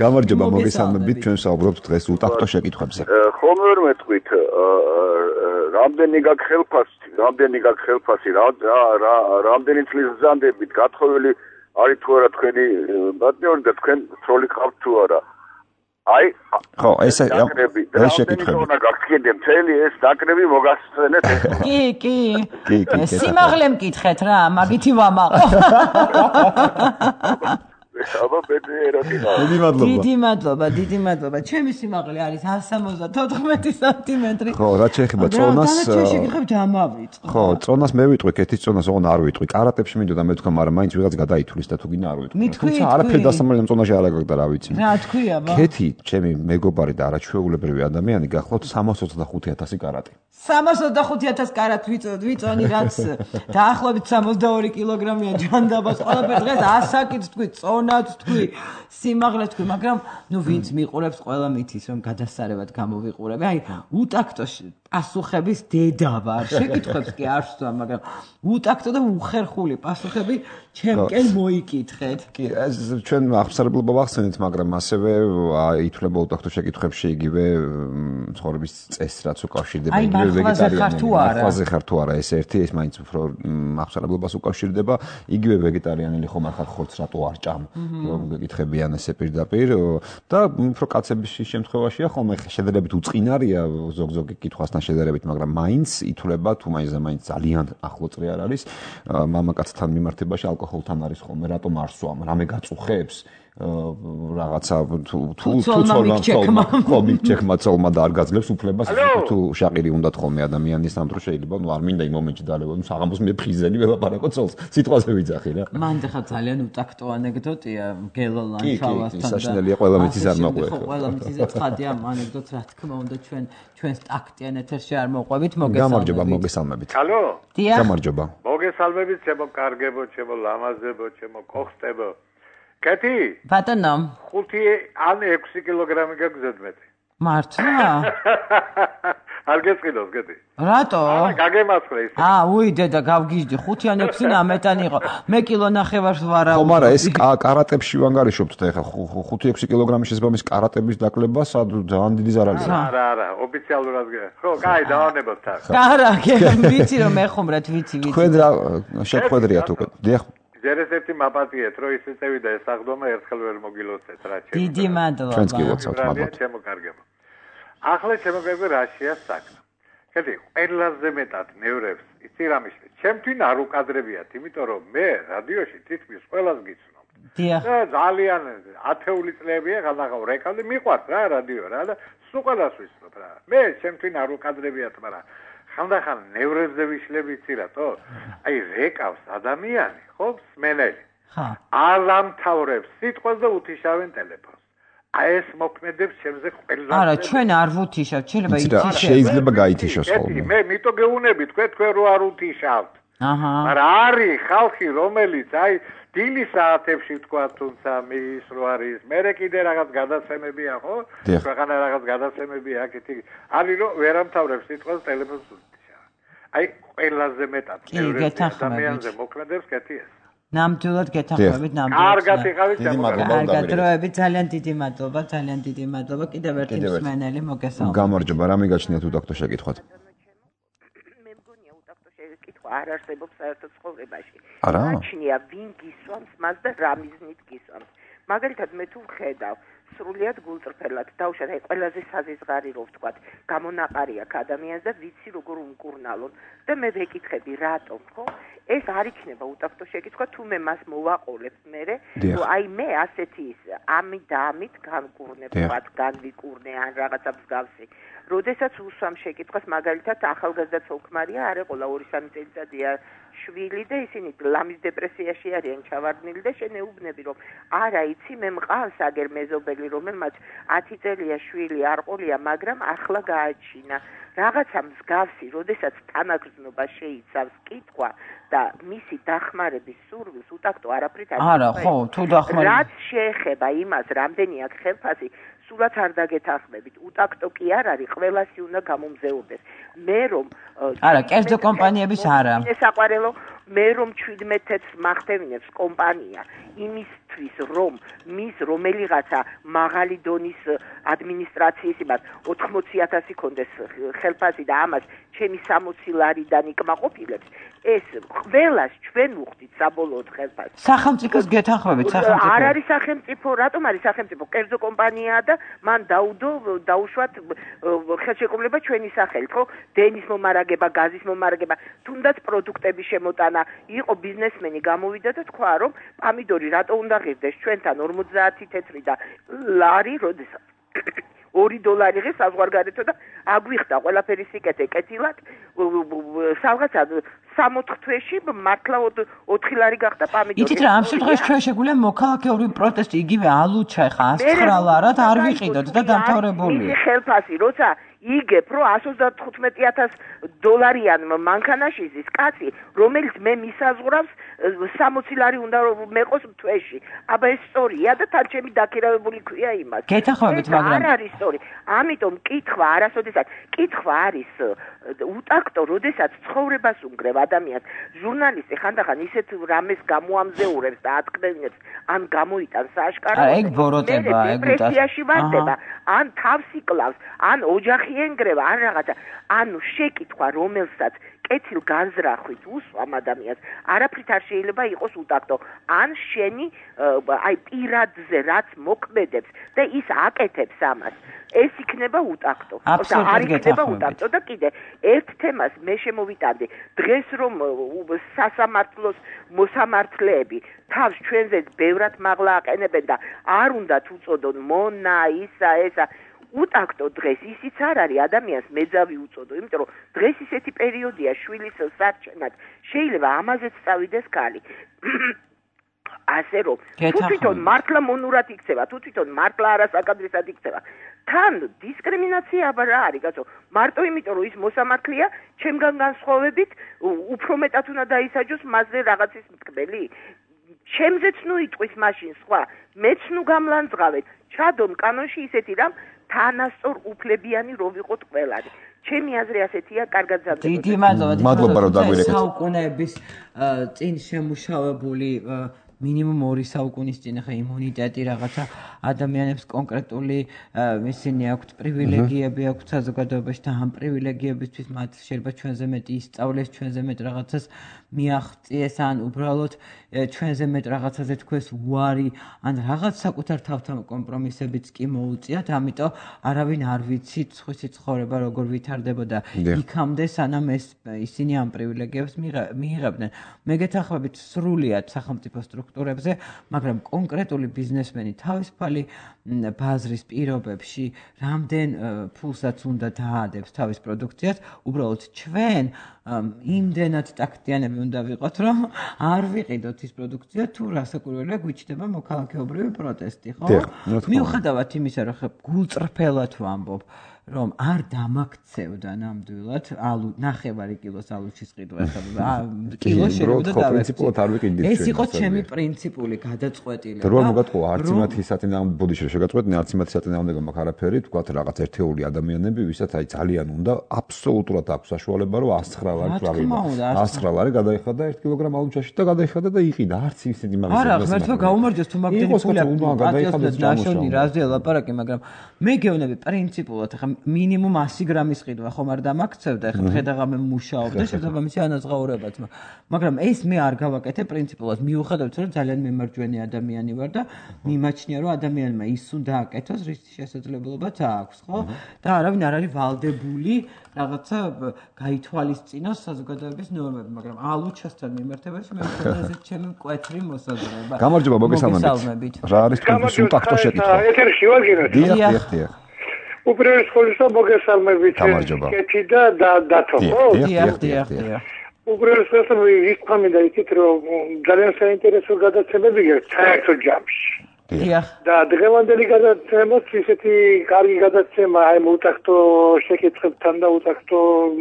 გამარჯობა, მოგესალმებით, ჩვენ საუბრობთ დღეს უტაქტო შეკითხვებზე. ხომ ვერ მეტყვით რამდენი გაქვს ხელფასი, რამდენი წლის ბრძანდებით გათხოვილი არის თუ არა თქვენი პარტნიორი და თქვენ ცოლი ყავთ თუ არა. აი, ხო, ეს შეკითხვები. უნდა გაგცინდე მთელი ეს ნაკრები მოგასწრენეთ. კი. სიმაღლე მკითხეთ რა, მაგითი ვამაყო. აბა ბედერაკინა. დიდი მადლობა. ჩემი სიმაღლე არის 174 სანტიმეტრი. ხო, რაც შეეხება წონას. და შეგიხებთ ამავიწყო. ხო, წონას მე ვიტყვი, კეთის წონას ოღონ არ ვიტყვი. კარატებში მინდოდა მე თქვა, მაგრამ მაინც ვიღაც გადაითვლის და თუ გინდა არ ვიტყვი. თუმცა არაფერი დასამალი ამ წონაში არ აგაგდა რა ვიცი. რა თქვია ბა? კეთი, ჩემი მეგობარი და არაჩვეულებრივი ადამიანი გახლავთ 325000 კარატი. 325000 კარატ ვიწონი რაც დაახლოებით 62 კილოგრამია ჯანდაბას ყველაფერი დღეს ასაკით თქვი წონაც თქვი სიმაღლეს თქვი მაგრამ ნუ ვინც მიყურებს ყველა მითის რომ გადასარევად გამოვიყურები აი უტაქტო პასუხების დედა ვარ შეკითხვებს კი არ ვსვამ მაგრამ უტაქტო და უხერხული პასუხები ჩემკენ მოიკითხეთ კი ეს ჩვენ აღსარებლობა ვახსენეთ მაგრამ ასევე ითვლება უტაქტო შეკითხვებში იგივე ცხოვრების წესს რაც უკავშირდება იგივე ვეგეტარიანელი ხარ თუ არა ეს ერთი ეს მაინც უფრო აღსარებლობას უკავშირდება იგივე ვეგეტარიანელი ხომ არ ხარ ხორცს რატო არ ჭამ რომ გეკითხებიან ესე პირდაპირ და უფრო კაცების შემთხვევაშია ხოლმე შედარებით უწყინარია ზოგ-ზოგი კითხვასთან შედარებით მაგრამ მაინც ითვლება თუ მაინც ძალიან ახლო წრი არ არის მამაკაცთან მიმართებაში ალკოჰოლთან არის ხოლმე რატომ არ სვამ რამე გაწუხებს რაღაცა თუ მიცექმა და არ გაძლევს უფლებას თუ შაყირი უნდათ ხოლმე ადამიანის ამ დროს შეიძლება ნუ არ მინდა იმ მომენტში დაალევა ნუ საღამოს მე ფხიზელი ველაპარაკო ცოლს სიტყვაზე ვიძახი რა მან ხა ძალიან უტაქტო ანეკდოტია გელოლანჩავასთან და საშინელია ყველა მითის არ მოყვება ყველა მითის ცხადია ამ ანეკდოტს რა თქმა უნდა ჩვენს ტაქტიან ეთერში არ მოყვებით გამარჯობა მოგესალმებით ალო გამარჯობა მოგესალმებით ჩემო კარგებო ჩემო ლამაზებო ჩემო კოხტებო კეთი ბატონო 5 ან 6 კილოგრამი გაგზავნა მე მართლა არ გესყიდოს კეთი რატო გაგემასხლე ის უი დედა გავგიჟდი 5 ან 6 ნამეტანი იყო მე კილო ნახევარს ვარა ხო მაგრამ ეს კარატებში ვანგარიშობთ და ეხა 5-6 კილოგრამი შესაბამის კარატების დაკლება სად ძალიან დიდი ზარალია არა ოფიციალურად ხო კაი დავანებოთ თან კარა ვიცი რომ ეხუმრეთ ვიცი თქვენ რა შეხვედრიათ უკვე დიახ ჯერესეთი მაპატიეთ რომ ის წევიდა ეს აღდომა ერთხელ ვერ მოგილოცეთ რა ჩემო დიდი მადლობა ჩვენც კი ვაცავთ მადლობა ჩემო კარგებო ახლა ჩემო კარგო რაშია საქმე ხეთი ყველაზე მეტად ნევრებს იცი რა მიშლი ჩემთვის არ უკადრებიათ იმიტომ რომ მე რადიოში თითქმის ყველას გიცნობ დიახ და ძალიან ათეული წლებია გადაღავ რეკავდი მიყვარს რა რადიო რა და სულ ყველას ვიცნობ რა მე ჩემთვის არ უკადრებიათ მაგრამ ხანდახან ნევრებზე ვიშლები იცი რატო აი რეკავს ადამიანი ხო სმენელი არ ამთავრებს სიტყვას და უთიშავენ ტელეფონს ეს მოქმედებს ჩემზე ყველაზე. არა, ჩვენ არ ვუთიშავთ, შეიძლება გაითიშოს ხოლმე. მე მითო გეუნები თქვენ რო არ უთიშავთ. აჰა. მაგრამ არის ხალხი, რომელიც დილის საათებში თქვა თუნცა მის რო არის. მე კიდე რაღაც გადაცემებია ხო? ქვეყანა რაღაც გადაცემებია აქეთი. არის რომ ვერამთავრებს სიტყვას ტელეფონს უთიშავ. ყველაზე მეტად ადამიანზე მოქმედებს კეთი ეს. ნამდვილად გეთანხმებით ნამდვილად. კარგად იყავით კარგად დროებით ძალიან დიდი მადლობა. კიდევ ერთი მსმენელი მოგესალმებით. გამარჯობა, რა მიგაჩნიათ უტაქტო შეკითხვათ? მე მგონია უტაქტო შეკითხვა არ არსებობს საერთოდ ცხოვრებაში. არა? გაჩნია ვინ გისვამს მას და რა მიზნით გისვამს. მაგალითად მე თუ ვხედავ სრულიად გულწრფელად დავუშვათ ყველაზე საზღარი რო ვთქვათ გამონაყარი აქ ადამიანს და ვიცი როგორ უმკურნალონ და მე ვეკითხები რატომ ხო ეს არ იქნება უტაქტო შეკითხვა თუ მე მას მოვაყოლებ მე მე ასეთი ამით და ამით განკურნებ ვთქვათ განვიკურნე ან რაღაცა მსგავსი როდესაც უსვამ შეკითხვას მაგალითად ახალგაზრდა ცოლ-ქმარია არ ეყოლა 2-3 წელიწადია შვილი და ისინი ლამის დეპრესიაში არიან ჩავარდნილი და შენეუბნები რომ არა იცი მე მყავს აგერ მეზობელი რომელმაც 10 წელია შვილი არ ყოლია მაგრამ ახლა გააჩინა რაღაცა მსგავსი როდესაც თანაგრძნობა შეიცავს კითხვა და მისი დახმარების სურვილს უტაქტო არაფრით არა ხო თუ დახმარება რაც შეეხება იმას რამდენი აქ ხელფასი სულაც არ დაგეთანხმებით უტაქტო კი არ არის ყველასი უნდა გამომზეურდეს მე რომ არა კერძო კომპანიების არა ესაყარელო მე რომ 17-ს მახდევინებს კომპანია იმისთვის რომ მის რომელიღაცა მაღალი დონის ადმინისტრაციის იმას 80,000 კონდეს ხელფასი და ამას ჩემი 60 ლარიდან იკმაყოფილებს ეს ყველას ჩვენ ვუხდით საბოლოოდ ხელფასს სახელმწიფოს გეთანხმებით სახელმწიფო არ არის სახელმწიფო რატომ არის სახელმწიფო კერძო კომპანიაა და მან დაუშვათ ხელშეკრულება ჩვენი სახელით ხო დენის მომარაგება გაზის მომარაგება თუნდაც პროდუქტების შემოტანა იყო ბიზნესმენი გამოვიდა და თქვა რომ პამიდორი რატო უნდა ღირდეს ჩვენთან 50 თეთრი და ლარი როდესაც $2 ღირს საზღვარგარეთო და აგვიხდა ყველაფერი სიკეთე კეთილად რაღაცა 3-4 თვეში მართლა 4 ლარი გახდა პამიდორი იცით რა ამ შემთხვევაში ჩვენ შეგვიძლია მოქალაქეური პროტესტი იგივე ალუჩა ხა 109 ლარად არ ვიყიდოთ და დამთავრებული ხელფასი როცა იგებ რომ $130,000 მანქანაში ზის კაცი რომელიც მე მისაზღვრავს 60 ლარი უნდა მეყოს თვეში აბა ეს სწორია და თან ჩემი დაქირავებული ქვია იმას გეთანხმებით მაგრამ არ არის სწორი ამიტომ კითხვა არასოდესაც კითხვა არის უტაქტო როდესაც ცხოვრებას უნგრევ ადამიანს ჟურნალისტი ხანდახან ისეთ რამეს გამოამზეურებს და ატკბინებს ან გამოიტანს სააშკაროდ ეგ ბოროტება ეგ დეპრესიაში ვარდება ან თავს იკლავს ან ოჯახი ენგრევა ან რაღაცა ანუ შეკითხვა რომელსაც კეთილ განზრახვით უსვამ ადამიანს არაფრით არ შეიძლება იყოს უტაქტო ან შენი პირადზე რაც მოქმედებს და ის აკეთებს ამას ეს იქნება უტაქტო არ იქნება უტაქტო და კიდე ერთ თემას მე შემოვიტანდი დღეს რომ სასამართლოს მოსამართლეები თავს ჩვენზე ბევრად მაღლა აყენებენ და არ უნდათ უწოდონ მონა ისა ესა უტაქტო დღეს ისიც არ არის ადამიანს მეძავი უწოდო იმიტომ რომ დღეს ისეთი პერიოდია შვილის სარჩენად შეიძლება ამაზეც წავიდეს კალი ასე რომ თუ თვითონ მართლა მონურად იქცევა თუ თვითონ მართლა არასაკადრისად იქცევა თან დისკრიმინაცია რა არის კაცო მარტო იმიტომ რომ ის მოსამართლეა ჩემგან განსხვავებით უფრო მეტად უნდა დაისაჯოს მასზე რაღაცის მტკბელი ჩემზეც ნუ იტყვის მაშინ სხვა მეც ნუ გამლანძღავეთ ჩადონ კანონში ისეთი რამ თანასწორ უფლებიანი რო ვიყოთ ყველანი ჩემი აზრი ასეთია კარგად ზარდება დიდი მადლობა რომ დაგვირეკეთ საუკუნეების წინ შემუშავებული მინიმუმ 2 საუკუნის წინ ხა იმუნიტეტი რაღაცა ადამიანებს კონკრეტული ისინი აქვთ პრივილეგიები აქვთ საზოგადოებაში და ამ პრივილეგიებისთვის მათ შეიძლება ჩვენზე მეტი ისწავლეს ჩვენზე მეტ რაღაცას მიაღწიეს ან უბრალოდ ჩვენზე მეტ რაღაცაზე თქვეს უარი ან რაღაც საკუთარ თავთან კომპრომისებიც კი მოუწიათ ამიტომ არავინ არ ვიცით სხვისი ცხოვრება როგორ ვითარდებოდა იქამდე სანამ ისინი ამ პრივილეგიებს მიიღებდნენ მე გეთანხმებით სრულიად სახელმწიფო სტრუქტურებზე, მაგრამ კონკრეტული ბიზნესმენი თავისუფალი ბაზრის პირობებში რამდენ ფულსაც უნდა დაადებს თავის პროდუქციას, უბრალოდ ჩვენ იმდენად ტაქტიანები უნდა ვიყოთ, რომ არ ვიყიდოთ ის პროდუქცია თუ რასაკვირველია გვიჩნდება მოქალაქეობრივი პროტესტი, ხო? მიუხედავად იმისა, რომ გულწრფელად ვამბობ, რომ არ დამაქცევდა ნამდვილად ალუ 9 კილოს ალუჩის ყიდვა ახლა კილო შეიძლება დავექცე. ეს იყო ჩემი პრინციპული გადაწყვეტილება. რო მოგატყუა არც იმათი საწინააღმდეგო ბოდიში რომ შეგაწყვეტნი არც იმათი საწინააღმდეგო მაგ არაფერი თქვათ რაღაც ერთეული ადამიანები ვისაც აი ძალიან უნდა აბსოლუტურად აქვს საშუალება რომ 109 ლარი წავიდა. 109 ლარი გადაიხადა 1 კილოგრამ ალუჩაში და გადაიხადა და იყიდა არც ისეთი მაგის. არა ღმერთო გაუმარჯოს თუ მაგდენი ფული გადაიხადა ნაშონი რაზეა ლაპარაკი, მაგრამ მე გეუბნები პრინციპულად ახლა მინიმუმ 100 გრამის ყიდვა ხომ არ დამაქცევდა, ახლა ხედაღამე მუშაობდა, შესაბამისი ანაზღაურებაც, მაგრამ ეს მე არ გავაკეთე პრინციპულად, მიუხედავად რომ ძალიან მემარჯვენე ადამიანი ვარ და მიმაჩნია რომ ადამიანმა ის უნდა აკეთოს, რის შესაძლებლობაც აქვს, ხო? და არავინ არ არის ვალდებული რაღაცა გაითვალისწინოს საზოგადოების ნორმები, მაგრამ ალუჩასთან მიმართებაში მე მგონია ეს ჩემი მკვეთრი მოსაზრება. გამარჯობა, მოგესალმებით. რა არის თქვენი სულტაქტო შეკითხვა? ეთერში ვარ გინოთ. დიახ. უპირველეს ყოვლისა მოგესალმებით. კეთი და დათო, ხო? დიახ. უპირველეს ყოვლისა ვისწამდა იქით რომ ძალიან საინტერესო გადაცემები გქონდა საერთოდ ჯამში. დიახ. და დღევანდელი გადაცემაც ისეთი კარგი გადაცემა აი უტაქტო შეკითხვებთან და უტაქტო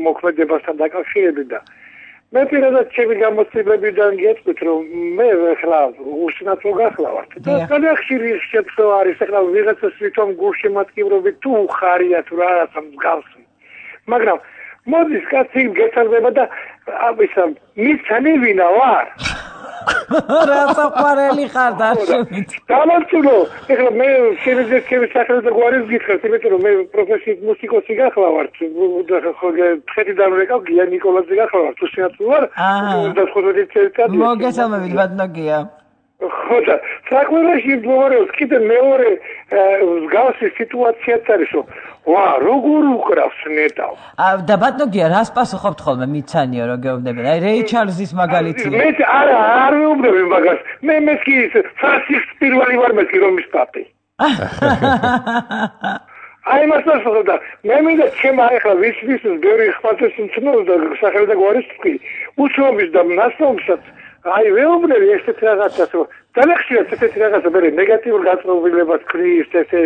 მოქმედებასთან დაკავშირებით და მე პირადად ჩემი გამოცდილებიდან გეტყვით რომ მე ახლა უსინათლო გახლავართ და ძალიან ხშირი შეცდომა არის ახლა ვიღაცას თვითონ გულში მატკივრობით თუ ხარია თუ რაღაცა მსგავსი მაგრამ მოდის კაცი გეცალდება და ისა მიცანი ვინა ვარ რაცა ყვარელი ხარ დაშოვით. დამარცხო. ეხლა მე შემიძლია სახელმწიფო და გვარის გითხრათ, იმიტომ რომ მე პროფესიით მუსიკოსი გახლავართ. ხო ხეთიდან ვეკავ გია ნიკოლაძე გახლავართ. უსინათლო ვარ. და ხოთი ცერკად. მოგესალმებით ბატონია. ხო და საქმეში მდგომარეობს კიდე მეორე მსგავსი სიტუაციაც არის რომ ვა როგორ უკრავს ნეტავ და ბატონია რას პასუხობთ ხოლმე მიცანიო რომ გეუბნები აი რეი ჩარლზის მაგალითია მე არ ვეუბნები მაგას მე კი ფრანცის პირველი ვარ მე კი რომის პაპი აი მასწავლე და მე მინდა ჩემ ახლა ვის ბევრი ხმათის მცნობს და სახელი და გვარის თქვი უცნობის და ნასწავლსაც აი ვეუბნები ესეთ რაღაცას რომ ძალიან ხშირად ესეთი რაღაცა მე ნეგატიურ გაწმობილებას ქრის ესე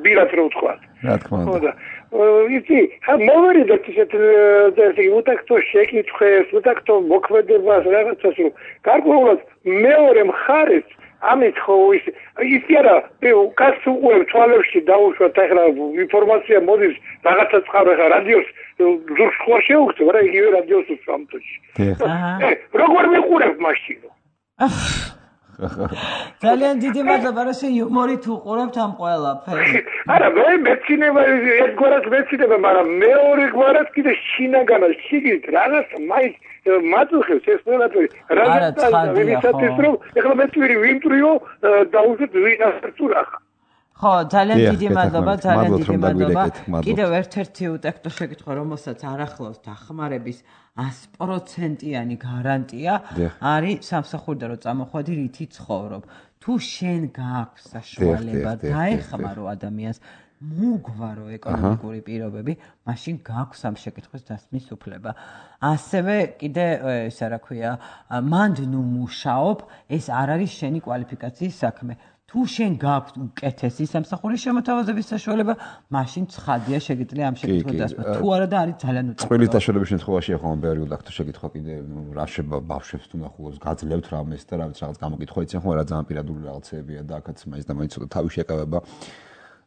ბირად რო ვთქვა. რა თქმა უნდა. იცი, მოვერიდეთ ესეთი უტაქტო შეკითხვებს, უტაქტო მოქმედებას რაღაცას რომ გარკვეულად მეორე მხარეს ამით ხო ის არა კაცს უყურებ თვალებში დაუშვათ ახლა ინფორმაცია მოდის რაღაცა წყარო ახლა რადიოს ზურგს ხო შეუგწევ რა იგივე რადიოს სამთოში როგორ მიყურებ მაშინ ძალიან დიდი მადლობა რომ შე იუმორით უყურებთ ამ ყველაფერს არა მე მეცინება ერთგვარად მეცინება მაგრამ მეორე გვარად კიდე შინაგანა შიგით რაღაც მაინც მაწუხებს ეს ყველაფერი რაღაცა ვისაც რომ ეხლა მე twiri ვიმტრიო და უზეთ ვინასწურა ხო ძალიან დიდი მადლობა ძალიან დიდი მადლობა კიდევ ერთ-ერთი უტექტო შეკითხვა რომელსაც არ ახლავს დახმარების 100%-იანი გარანტია არის სამსახურიდან რომ წამოხვედი რითი ცხოვრობ თუ შენ გააქვს საშუალება დაეხმარო ადამიანს მოგვარო ეკონომიკური პირობები, მაშინ გააქვს ამ შეკითხვის დასმის უფლება. ასევე კიდე ისა რა ქვია, მანდ ნუ მუშაობ, ეს არ არის შენი კვალიფიკაციის საქმე. თუ შენ გააქვს უკეთესი სამსახურის შემოთავაზების საშუალება, მაშინ ცხადია შეგიძლია ამ შეკითხვის დასმა. თუ არა და არის ძალიან უწევრი. ყველის დაშორების შემთხვევაში ახლა ბევრი უდაქტო შეკითხვა კიდე რა შეება ბავშვებს თუ ნახულობს გაძლევთ რამეს და რაღაც გამოკითხვა იციან ხო რა ძალიან პირადული რაღაცებია და აქაც მაინც და მაინც ცოტა თავი შეკავება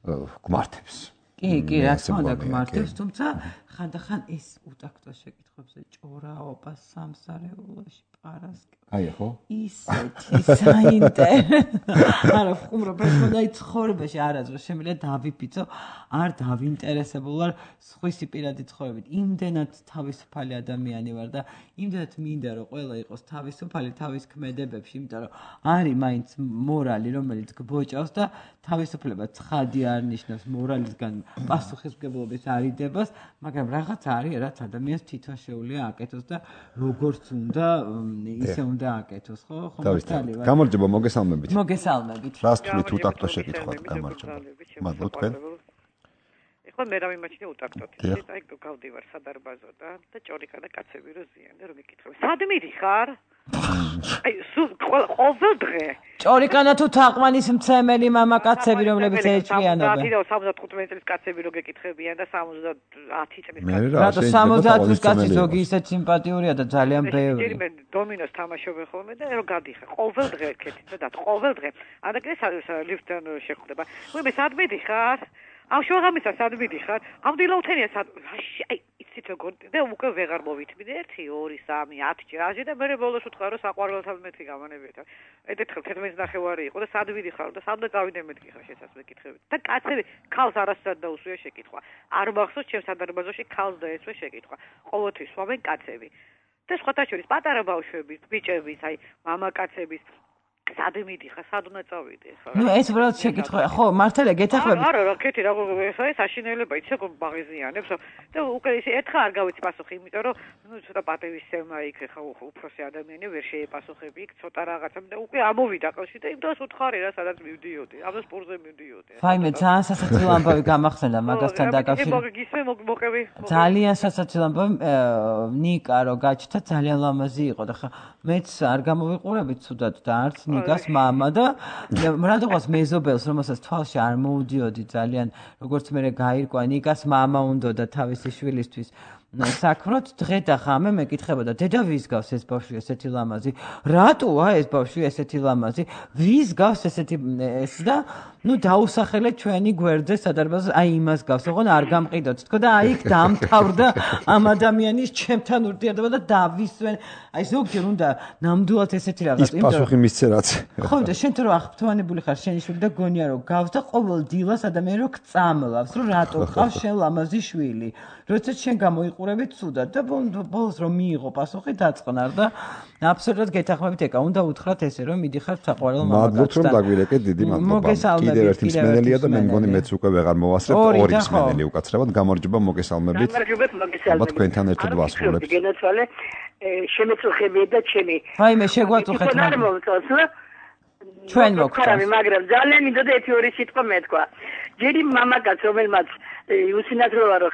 გმართებს. კი, რა თქმა უნდა გმართებს, თუმცა ხანდახან ეს უტაქტო შეკითხვებზე ჭორაობა სამსარეულოში პარასკევ. აი ხო? ისეთი საინტერესო. არა, ხუმრობა ხონდა ცხოვრებაში არასდროს შემიძლია დავიფიცო, არ დავინტერესებულ ვარ სხვისი პირადი ცხოვრებით. იმდენად თავისუფალი ადამიანი ვარ და იმდენად მინდა რომ ყველა იყოს თავისუფალი თავის ქმედებებში, იმიტომ რომ არის მაინც მორალი, რომელიც გბოჭავს და თავისუფლება ცხადი არ ნიშნავს მორალისგან პასუხისმგებლობის არიდებას, მაგრამ რაღაც არის, რაც ადამიანს თვითონ შეუძლია აკეთოს და როგორც უნდა ისე უნდა აკეთოს, ხო? ხომ გამარჯობა, მოგესალმებით. მოგესალმებით. რას თვლით უტაქტო შეკითხვად, გამარჯობა. მადლობ თქვენ. ეხლა მე რა მიმაჩნია უტაქტოდ. აი გავდივარ სადარბაზო და ჭორიკა და კაცები რო ზიანდა რომ იკითხები. სად მიდიხარ? აი ყოველ დღე. ჭორიკანა თუ თაყვანის მცემელი მამაკაცები რომლებიც ეჭვიანობენ. 75 წლის კაცები რო გეკითხებიან და 70 წლის კაცები. რატო 70 წლის კაცი ზოგი ისეთ სიმპათიურია და ძალიან ბევრი. მე დომინოს თამაშობენ ხოლმე და რო გადიხარ ყოველ დღე კეთით და ყოველ დღე. ანაკრეს ლიფტთან შეხვდება. მე სად მიდიხარ? ამ შოღამისა სად მიდიხარ? ამ დილაუთენია სად? აი იცით როგორ და უკვე ვეღარ მოვითმიდე 1 2 3 10 ჯერაჟე და მე ბოლოს ვთქვა რომ საყვარელთან მეთქი გამანებიეთ. ედეთხელ 11:30 იყო და სად ვიდიხარ და სად წავიდე მეთქი ხარ შესაძ მეკითხებით. და კაცები ქალს არასდროს დაუსვია შეკითხვა. არ მახსოვს ჩემს სადარბაზოში ქალს დაესვე შეკითხვა. ყოველთვის სვამენ კაცები. და სხვათა შორის პატარა ბავშვების, ბიჭების, აი მამაკაცების სად მიდიხარ, სად უნდა წავიდე ხა? ნუ ეს უბრალოდ შეკითხვა, ხო, მართალია გეთახმებით. არა, კეთი რა ეს აშინელება იცი როგორ ბაღიზიანებს და უკვე ისე ერთხელ არ გავიცი პასუხი, იმიტომ რომ ნუ ცოტა პატივისცემა იქ ხა უფროსი ადამიანი ვერ შეეპასუხები იქ ცოტა რაღაცა და უკვე ამოვიდა ყელში და იმ დროს უთხარი რა სადაც მივდიოდი, ამ დროს სპორტზე მივდიოდი. ფაიმე ძალიან სასაცილო ამბავი გამახსენდა მაგასთან დაკავშირებით. მოყევი. ძალიან სასაცილო ამბავი ნიკა რო გაჩნდა ძალიან ლამაზი იყო და ხა მეც არ გამოვიყურებით ცუდად და არც ნიკას მამა და რადგანაც მეზობელს რომელსაც თვალში არ მოუდიოდი ძალიან როგორც მე გაირკვა ნიკას მამა უნდა და თავისი შვილისთვის საქმროთ დღე და ხამე მეკითხებოდა დედა ვის გავს ეს ბავშვი ესეთი ლამაზი რატოა ეს ბავშვი ესეთი ლამაზი ვის გავს ესეთი ეს და ნუ დაუსახელე ჩვენი გვერდზე სადარბაზო აი იმას გავს ოღონ არ გამყიდოთ თქო და აი იქ დამთავრდა ამ ადამიანის ჩემთან ურთიერთობა და დავისვენ აი ზოგჯერ უნდა ნამდვილად ესეთი რაღაც იმიტომ პასუხი მისცე რაც ხო და შენ თუ რა აღფრთოვანებული ხარ შენი შვილი და გონია რომ გავს და ყოველ დილას ადამიანი რო გწამლავს რომ რატო ყავს შენ ლამაზი შვილი როდესაც შენ გამოიყურებით ცუდად და ბოლოს რომ მიიღო პასუხი დაწყნარ და აბსოლუტურად გეთახმებით ეკა უნდა უთხრათ ესე რომ მიდიხარ საყვარელ მამაკაცთან მადლობთ რომ დაგვირეკეთ დიდი მადლობა კიდევ ერთი მსმენელია და მე მგონი მეც უკვე ვეღარ მოვასწრებ ორი მსმენელი უკაცრავად გამარჯობა მოგესალმებით ალბათ თქვენთან ერთად ვასრულებთ გენაცვალე შემეწუხებიეთ და ჩემი ვაიმე შეგვაწუხეთ ჩვენ მოგწონს მაგრამ ძალიან მინდოდა 1-2 სიტყვა მეთქვა ჯერი მამაკაც რომელმაც უსინათლოა რომ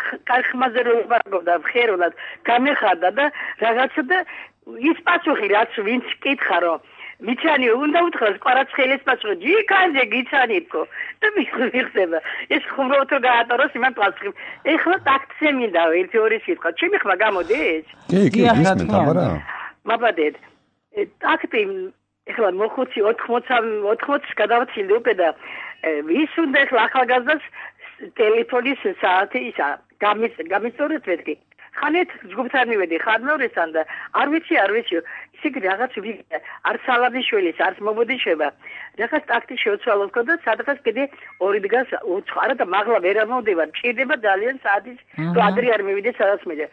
ხმაზე რო ვარგობდა ხერულად გამეხარდა და რაღაცა და ის პასუხი რაც ვინც კითხა რომ მიცანი უნდა უთხრას კვარაცხელის პასუხი ჯიკანზე გიცანითო და მიხდება ეს ხუმრობთ რომ გაატაროს იმან პასუხი ეხლა ტაქტზე მინდა 1-2 სიტყვა ჩემი ხმა გამოდის კი გისმენთ აბარა მაბადეთ ტაქტი ეხლა მოხუცი 80 გადავცილდი უკვე და ვის უნდა ეხლა ახალგაზრდას ტელეფონის საათი ისა გამისწორეთ მეთქი ხანეთ ჯგუფთან მივედი ხარნორესთან და არ ვიცი ისე რაღაც ვიგე არ სალანიშვილის არც მობოდიშება რაღაც ტაქტი შეოცვალო და სადღაც კიდე 2 დგას უცხარა და მაღლა ვერ ამოვდივარ ჭირდება ძალიან საათის ადრე არ მივიდე სადაც მე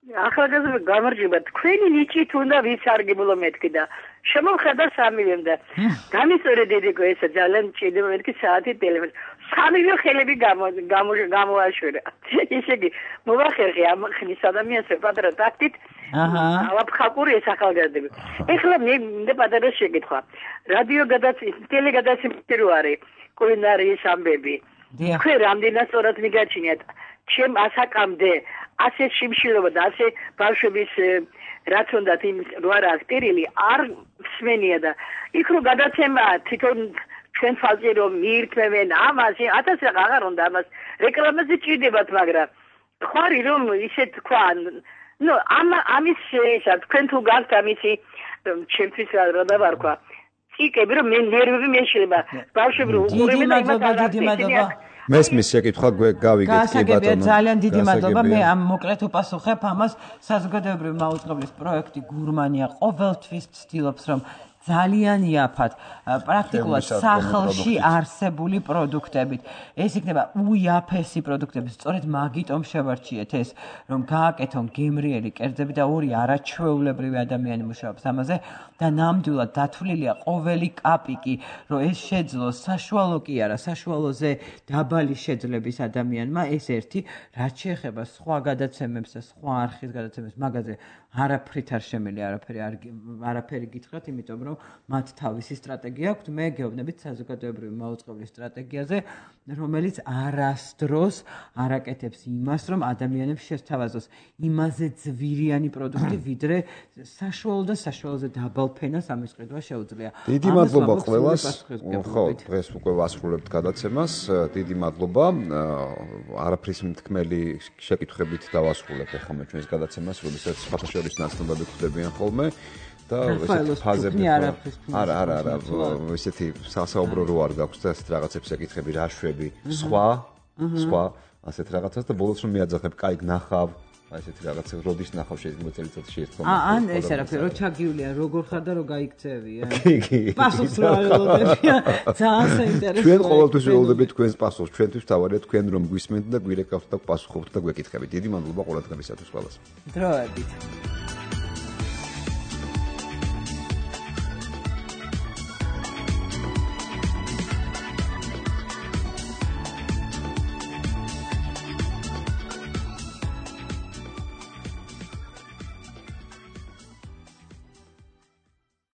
ახალგაზრდა გამარჯობა თქვენი ნიჭით უნდა ვიცარგებლო მეთქი და შემოვხედა სამივემ და გამისწორე დედიკო ესა ძალიან ჭირდება მეთქი საათი ტელეფონი სამივე ხელები გამოაშვერა ისე იგი მოვახერხე ამ ხნის ადამიანს პატარა ტაქტით ალაფხაკური ეს ახალგაზრდები ეხლა მე პატარა შეკითხვა რადიო ტელე გადაცემები რო არის კულინარიის ამბები თქვენ რამდენად სწორად მიგაჩნიათ ჩემ ასაკამდე ასე შიმშილობა და ასე ბავშვების რაც უნდათ იმ რო არა აქტირილი არ მსმენია და იქ რო გადაცემა თვითონ ჩვენ ფალზე რომ მიირთმევენ ამაზე 1000 აღარ უნდა ამას რეკლამაზე ჭირდებათ მაგრამ ხარი რომ ისე თქვა ნუ ამის ესა თქვენ თუ გაქვთ ამისი ჩემთვის რა დავარქვა ციკები რომ მე ნერვები მეშლება ბავშვები რო უყურებენ და იმას მესმის შეკითხვა გავიგეთ კი ბატონო ძალიან დიდი მადლობა მე ამ მოკლედ უპასუხებ ამას საზოგადოებრივი მაუწყებლის პროექტი გურმანია ყოველთვის ცდილობს რომ ძალიან იაფად, პრაქტიკულად სახლში არსებული პროდუქტებით. ეს იქნება უიაფესი პროდუქტები. სწორედ მაგიტომ შევარჩიეთ ეს, რომ გააკეთონ გემრიელი კერძები და ორი არაჩვეულებრივი ადამიანი მუშაობს ამაზე და ნამდვილად დათვლილია ყოველი კაპიკი, რომ ეს შეძლოს საშუალო კი არა, საშუალოზე დაბალი შეძლების ადამიანმა, ეს ერთი, რაც შეეხება სხვა გადაცემებს და სხვა არხის გადაცემებს, მაგაზე არაფრით არ შემიძლია არაფერი გითხრათ, იმიტომ რომ მათ თავისი სტრატეგია აქვთ. მე გეუბნებით საზოგადოებრივი მაუწყებლის სტრატეგიაზე, რომელიც არასდროს არ აკეთებს იმას, რომ ადამიანებს შესთავაზოს იმაზე ძვირიანი პროდუქტი, ვიდრე საშუალო და საშუალოზე დაბალ ფენას ამის ყიდვა შეუძლია. დიდი მადლობა ყველას. ხო, დღეს უკვე ვასრულებთ გადაცემას. დიდი მადლობა. არაფრის მთქმელი შეკითხვებით დავასრულებ ახლა მე ჩვენს გადაცემას, როდესაც ფათაშორის ნაცნობები ხდებიან ხოლმე. და ესეთი ფაზები არა ესეთი სასაუბრო რო არ გაქვს და ესეთ რაღაცებს ეკითხები რა შვები სხვა ასეთ რაღაცას და ბოლოს რომ მიაძახებ კაი გნახავ ესეთი რაღაცა როდის ნახავ შეიძლება წელიწადში ერთხელ ან ეს არაფერი რო ჩაგივლიან როგორ ხარ და რო გაიქცევიან პასუხს რა ველოდებიან ძალიან საინტერესოა ჩვენ ყოველთვის ველოდებით თქვენს პასუხს ჩვენთვის თავარია თქვენ რომ გვისმენთ და გვირეკავთ და პასუხობთ და გვეკითხებით დიდი მადლობა ყურადღებისათვის ყველას დროებით